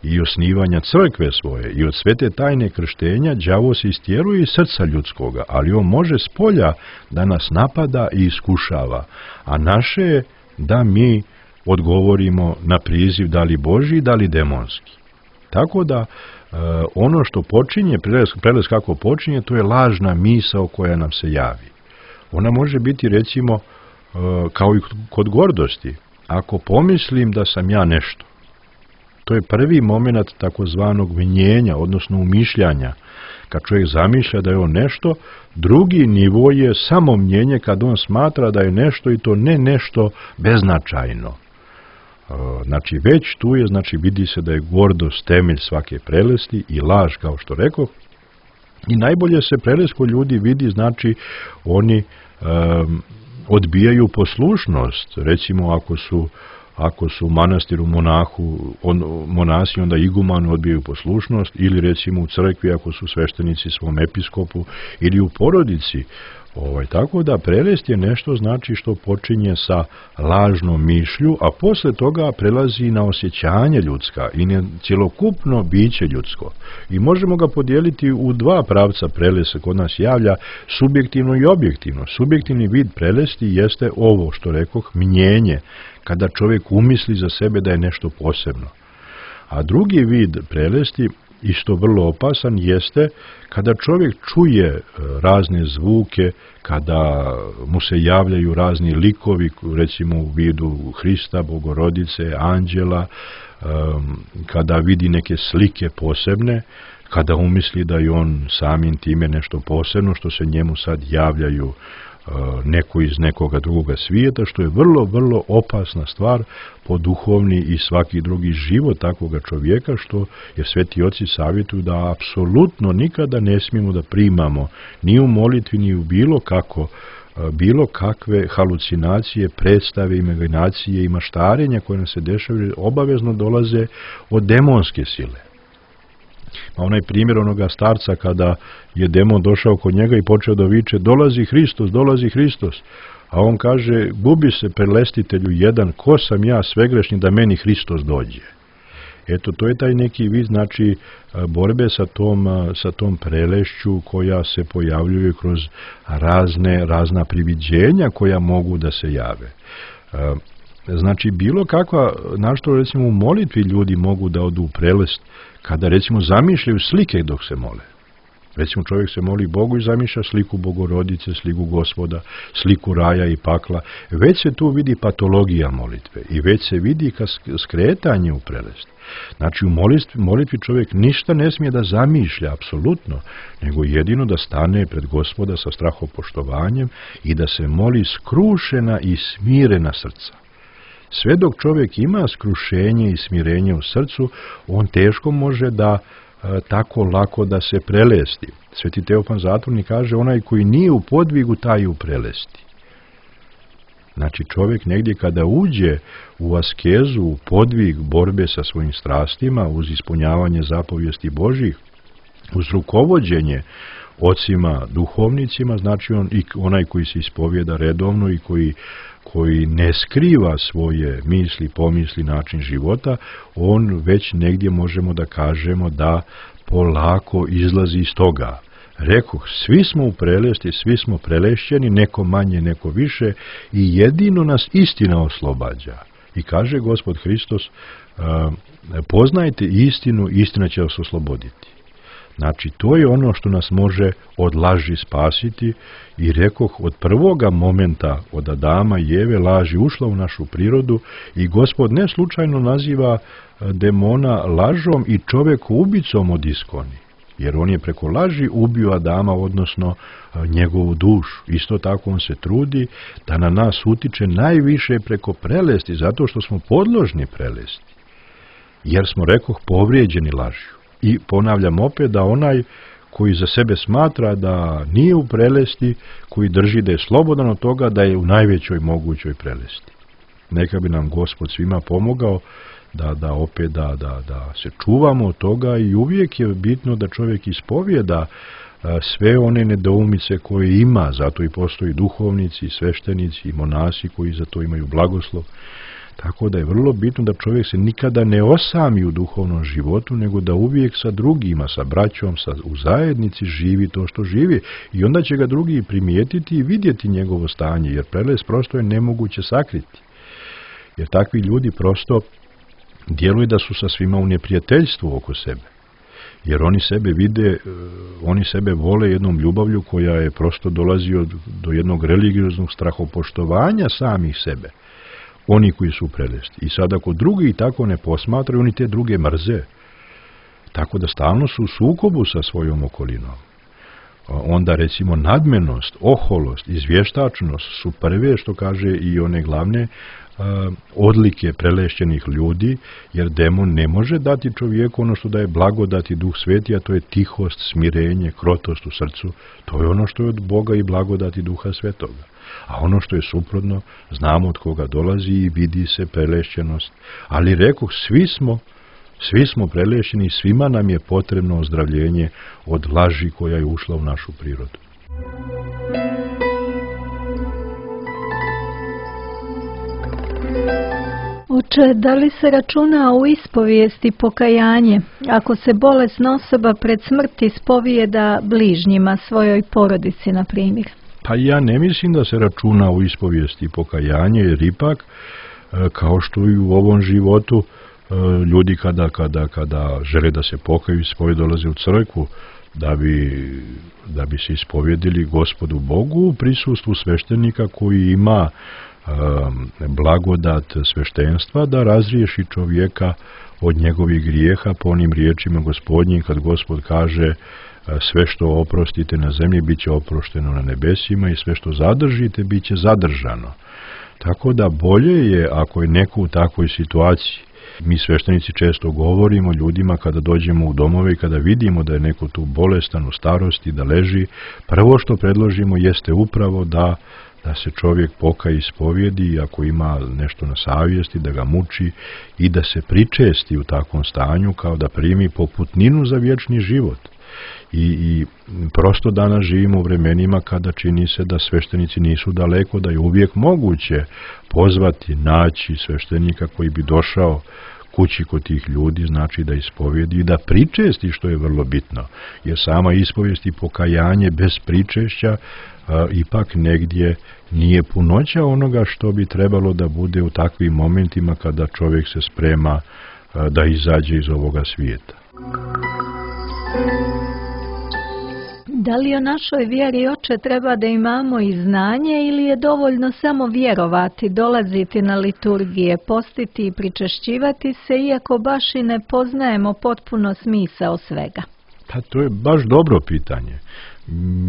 i osnivanja crkve svoje i od svete tajne krštenja, đavo se istjeruje iz srca ljudskoga, ali on može s polja da nas napada i iskušava, a naše je da mi odgovorimo na priziv da li Božji, da li demonski. Tako da ono što počinje, prelest kako počinje, to je lažna misao koja nam se javi. Ona može biti recimo kao i kod gordosti. Ako pomislim da sam ja nešto, to je prvi moment takozvanog mnjenja, odnosno umišljanja. Kad čovjek zamišlja da je on nešto, drugi nivo je samo mnjenje kad on smatra da je nešto i to ne nešto beznačajno. Znači već tu je, znači vidi se da je gordost temelj svake prelesti i laž, kao što rekao. I najbolje se prelest kod ljudi vidi, znači oni odbijaju poslušnost. Recimo ako su u manastiru monasi, onda igumani odbijaju poslušnost, ili recimo u crkvi ako su sveštenici svom episkopu, ili u porodici. Tako da prelest je nešto, znači, što počinje sa lažnom mišlju, a posle toga prelazi na osjećanje ljudska i na cjelokupno biće ljudsko. I možemo ga podijeliti u dva pravca. Prelest se kod nas javlja subjektivno i objektivno. Subjektivni vid prelesti jeste ovo što rekoh, mnjenje, kada čovjek umisli za sebe da je nešto posebno. A drugi vid prelesti, isto vrlo opasan, jeste kada čovjek čuje razne zvuke, kada mu se javljaju razni likovi, recimo u vidu Hrista, Bogorodice, anđela, kada vidi neke slike posebne, kada umisli da je on samim time nešto posebno, što se njemu sad javljaju neko iz nekoga drugoga svijeta, što je vrlo, vrlo opasna stvar po duhovni i svaki drugi život takvoga čovjeka, što je sveti oci savjetuju da apsolutno nikada ne smijemo da primamo ni u molitvi, ni u bilo kakve halucinacije, predstave, imaginacije i maštarenja koje nam se dešavaju, obavezno dolaze od demonske sile. Onaj primjer onoga starca kada je demon došao kod njega i počeo da viče: dolazi Hristos, dolazi Hristos. A on kaže: gubi se, prelestitelju jedan, ko sam ja svegrešni da meni Hristos dođe. Eto, to je taj neki vid, znači, borbe sa tom prelešću koja se pojavljuje kroz razna priviđenja koja mogu da se jave. Znači, bilo kakva, našto recimo u molitvi ljudi mogu da odu u prelest, kada recimo zamišljaju slike dok se mole. Recimo čovjek se moli Bogu i zamišlja sliku Bogorodice, sliku Gospoda, sliku raja i pakla. Već se tu vidi patologija molitve i već se vidi skretanje u prelest. Znači u molitvi čovjek ništa ne smije da zamišlja, apsolutno, nego jedino da stane pred Gospoda sa strahopoštovanjem i da se moli skrušena i smirena srca. Sve dok čovjek ima skrušenje i smirenje u srcu, on teško može da tako lako da se prelesti. Sveti Teofan Zatvornik kaže: onaj koji nije u podvigu, taj je u prelesti. Znači čovjek negdje kada uđe u askezu, u podvig borbe sa svojim strastima, uz ispunjavanje zapovijesti Božjih, uz rukovođenje ocima duhovnicima, znači onaj koji se ispovijeda redovno i koji ne skriva svoje misli, pomisli, način života, on već negdje možemo da kažemo da polako izlazi iz toga. Rekoh, svi smo u prelesti, svi smo prelešćeni, neko manje, neko više, i jedino nas istina oslobađa. I kaže Gospod Hristos: poznajte istinu, istina će vas osloboditi. Znači, to je ono što nas može od laži spasiti, i rekoh, od prvoga momenta, od Adama i Eve, laži ušla u našu prirodu i Gospod ne slučajno naziva demona lažom i čoveku ubicom od iskoni, jer on je preko laži ubio Adama, odnosno njegovu dušu. Isto tako on se trudi da na nas utiče najviše preko prelesti, zato što smo podložni prelesti, jer smo, rekoh, povrijeđeni lažju. I ponavljam opet da onaj koji za sebe smatra da nije u prelesti, koji drži da je slobodan od toga, da je u najvećoj mogućoj prelesti. Neka bi nam Gospod svima pomogao da se čuvamo od toga, i uvijek je bitno da čovjek ispovijeda sve one nedoumice koje ima, zato i postoji duhovnici, sveštenici i monasi koji za to imaju blagoslov. Tako da je vrlo bitno da čovjek se nikada ne osami u duhovnom životu, nego da uvijek sa drugima, sa braćom, u zajednici živi to što živi, i onda će ga drugi primijetiti i vidjeti njegovo stanje, jer prelest prosto je nemoguće sakriti. Jer takvi ljudi prosto djeluju da su sa svima u neprijateljstvu oko sebe. jer oni sebe vide, oni sebe vole jednom ljubavlju koja je prosto dolazi do jednog religioznog strahopoštovanja samih sebe, oni koji su prelesti. I sad ako drugi tako ne posmatraju, oni te druge mrze, tako da stalno su u sukobu sa svojom okolinom. Onda recimo nadmenost, oholost, izvještačnost su prve, što kaže i one glavne odlike prelešćenih ljudi, jer demon ne može dati čovjeku ono što daje blagodat i Duh Sveti, a to je tihost, smirenje, krotost u srcu. To je ono što je od Boga i blagodati Duha Svetoga. A ono što je suprotno, znamo od koga dolazi i vidi se prelešćenost. Ali rekoh, svi smo prelešćeni, svima nam je potrebno ozdravljenje od laži koja je ušla u našu prirodu. Oče, da li se računa u ispovijesti pokajanje, ako se bolesna osoba pred smrt ispovijeda bližnjima, svojoj porodici, na primjer? Pa ja ne mislim da se računa u ispovijesti pokajanje, jer ipak, kao što i u ovom životu, ljudi kada žele da se pokaju, ispovijed dolaze u crkvu, da bi se ispovjedili Gospodu Bogu u prisustvu sveštenika koji ima blagodat sveštenstva da razriješi čovjeka od njegovih grijeha po onim riječima Gospodnjim, kad Gospod kaže sve što oprostite na zemlji bit će oprošteno na nebesima i sve što zadržite bit će zadržano. Tako da bolje je ako je neko u takvoj situaciji. Mi sveštenici često govorimo ljudima kada dođemo u domove i kada vidimo da je neko tu bolestan u starosti, da leži, prvo što predložimo jeste upravo da se čovjek pokaje, ispovjedi, ako ima nešto na savjesti, da ga muči i da se pričesti u takvom stanju kao da primi poputninu za vječni život. I prosto danas živimo u vremenima kada čini se da sveštenici nisu daleko, da je uvijek moguće pozvati, naći sveštenika koji bi došao kući kod tih ljudi, znači da ispovjedi i da pričesti, što je vrlo bitno. Jer sama ispovijest i pokajanje bez pričešća ipak negdje nije punoća onoga što bi trebalo da bude u takvim momentima kada čovjek se sprema da izađe iz ovoga svijeta. Da li o našoj vjeri, oče, treba da imamo i znanje ili je dovoljno samo vjerovati, dolaziti na liturgije, postiti i pričešćivati se, iako baš i ne poznajemo potpuno smisao svega? Pa to je baš dobro pitanje.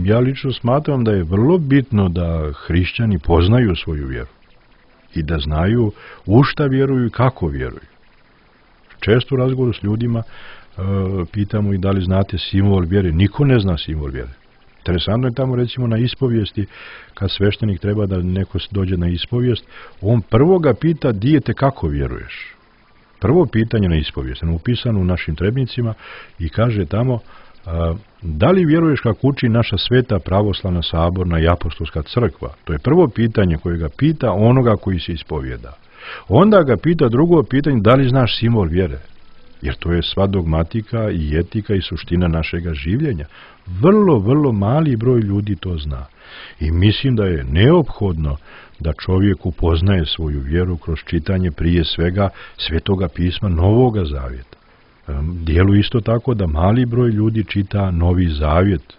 Ja lično smatram da je vrlo bitno da hrišćani poznaju svoju vjeru i da znaju u šta vjeruju i kako vjeruju. Često u razgovoru s ljudima pitamo i da li znate simbol vjere. Niko ne zna simbol vjere. Interesantno je tamo recimo na ispovijesti, kad sveštenik treba da neko dođe na ispovijest, on prvo ga pita dijete kako vjeruješ. Prvo pitanje na ispovijest, upisano u našim trebnicima i kaže tamo da li vjeruješ kako uči naša sveta pravoslavna saborna i apostolska crkva. To je prvo pitanje koje ga pita onoga koji se ispovijeda. Onda ga pita drugo pitanje da li znaš simbol vjere. Jer to je sva dogmatika i etika i suština našega življenja. Vrlo, vrlo mali broj ljudi to zna. I mislim da je neophodno da čovjek upoznaje svoju vjeru kroz čitanje prije svega Svetoga pisma Novoga Zavjeta. Djeluje isto tako da mali broj ljudi čita Novi Zavjet.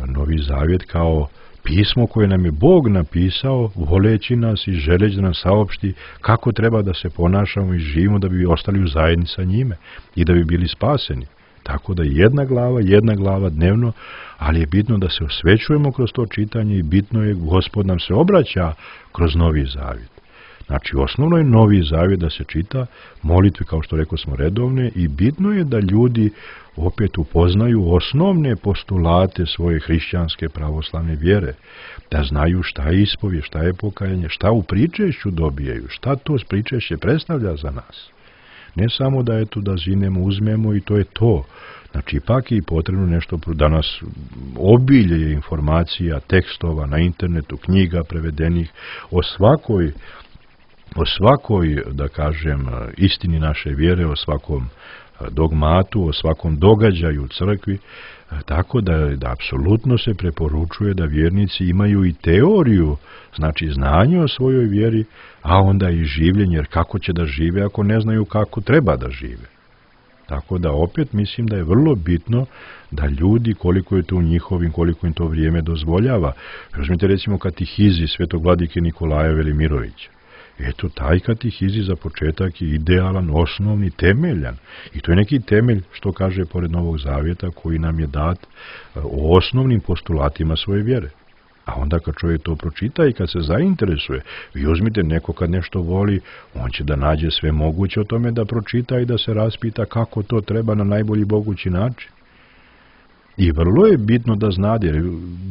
Novi Zavjet kao pismo koje nam je Bog napisao, voleći nas i želeći da nam saopšti kako treba da se ponašamo i živimo da bi ostali u zajednici sa njime i da bi bili spaseni. Tako da jedna glava dnevno, ali je bitno da se osvećujemo kroz to čitanje i bitno je Gospod nam se obraća kroz Novi Zavjet. Znači, osnovno je Novi Zavjet da se čita, molitve, kao što rekao smo, redovne, i bitno je da ljudi opet upoznaju osnovne postulate svoje hrišćanske pravoslavne vjere, da znaju šta je ispovijest, šta je pokajanje, šta u pričešću dobijaju, šta to pričešće predstavlja za nas. Ne samo da da zinemo, uzmemo i to je to. Znači, ipak je potrebno nešto, danas obilje informacija, tekstova na internetu, knjiga prevedenih o svakoj, da kažem, istini naše vjere, o svakom dogmatu, o svakom događaju u crkvi, tako da apsolutno se preporučuje da vjernici imaju i teoriju, znači znanje o svojoj vjeri, a onda i življenje, jer kako će da žive ako ne znaju kako treba da žive. Tako da opet mislim da je vrlo bitno da ljudi, koliko je to u njihovim, koliko im to vrijeme dozvoljava. Uzmite recimo katehizi Svetog vladike Nikolaja Velimirovića. Eto, taj katehizi za početak je idealan, osnovni, temeljan. I to je neki temelj, što kaže pored Novog Zavjeta, koji nam je dat o osnovnim postulatima svoje vjere. A onda kad čovjek to pročita i kad se zainteresuje, vi uzmite neko kad nešto voli, on će da nađe sve moguće o tome da pročita i da se raspita kako to treba na najbolji mogući način. I vrlo je bitno da znate, jer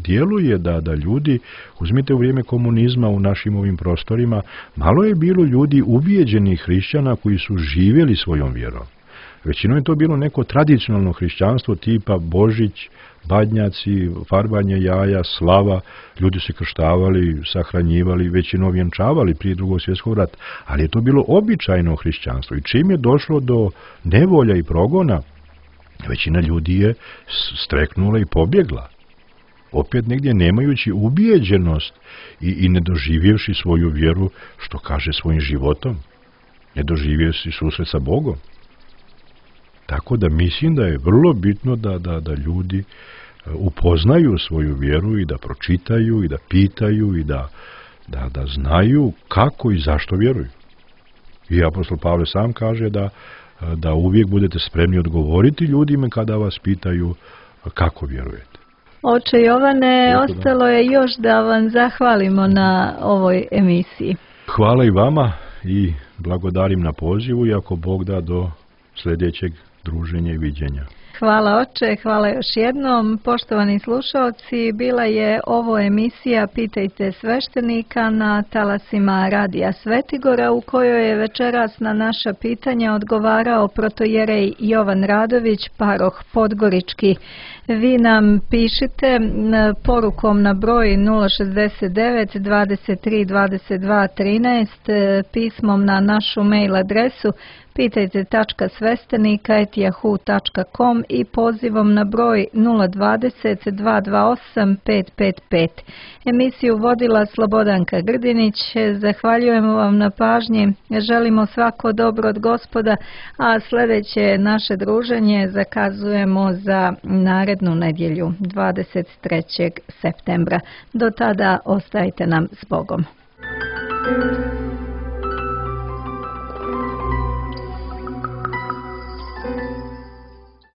djeluje da ljudi, uzmite u vrijeme komunizma u našim ovim prostorima, malo je bilo ljudi ubijeđenih hrišćana koji su živjeli svojom vjerom. Većinom je to bilo neko tradicionalno hrišćanstvo tipa Božić, badnjaci, farbanje jaja, slava, ljudi se krštavali, sahranjivali, većinom vjenčavali prije Drugog svjetskog rata, ali je to bilo običajno hrišćanstvo i čim je došlo do nevolja i progona, većina ljudi je streknula i pobjegla. Opet negdje nemajući ubijeđenost i ne doživjevši svoju vjeru, što kaže svojim životom, ne doživjevši susret sa Bogom. Tako da mislim da je vrlo bitno da ljudi upoznaju svoju vjeru i da pročitaju i da pitaju i da znaju kako i zašto vjeruju. I apostol Pavle sam kaže da uvijek budete spremni odgovoriti ljudima kada vas pitaju kako vjerujete. Oče Jovane, ostalo je još da vam zahvalimo na ovoj emisiji. Hvala i vama i blagodarim na pozivu i ako Bog da do sljedećeg druženja i viđenja. Hvala oče, hvala još jednom. Poštovani slušalci, bila je ovo emisija Pitajte sveštenika na talasima Radija Svetigora, u kojoj je večeras na naša pitanja odgovarao protojerej Jovan Radović, paroh Podgorički. Vi nam pišite porukom na broj 069 23 22 13, pismom na našu mail adresu pitajte.svestenika@yahoo.com i pozivom na broj 020 228 555. Emisiju vodila Slobodanka Grdinić. Zahvaljujemo vam na pažnji, želimo svako dobro od Gospoda, a sljedeće naše druženje zakazujemo za narednu nedjelju 23. septembra. Do tada ostajte nam s Bogom.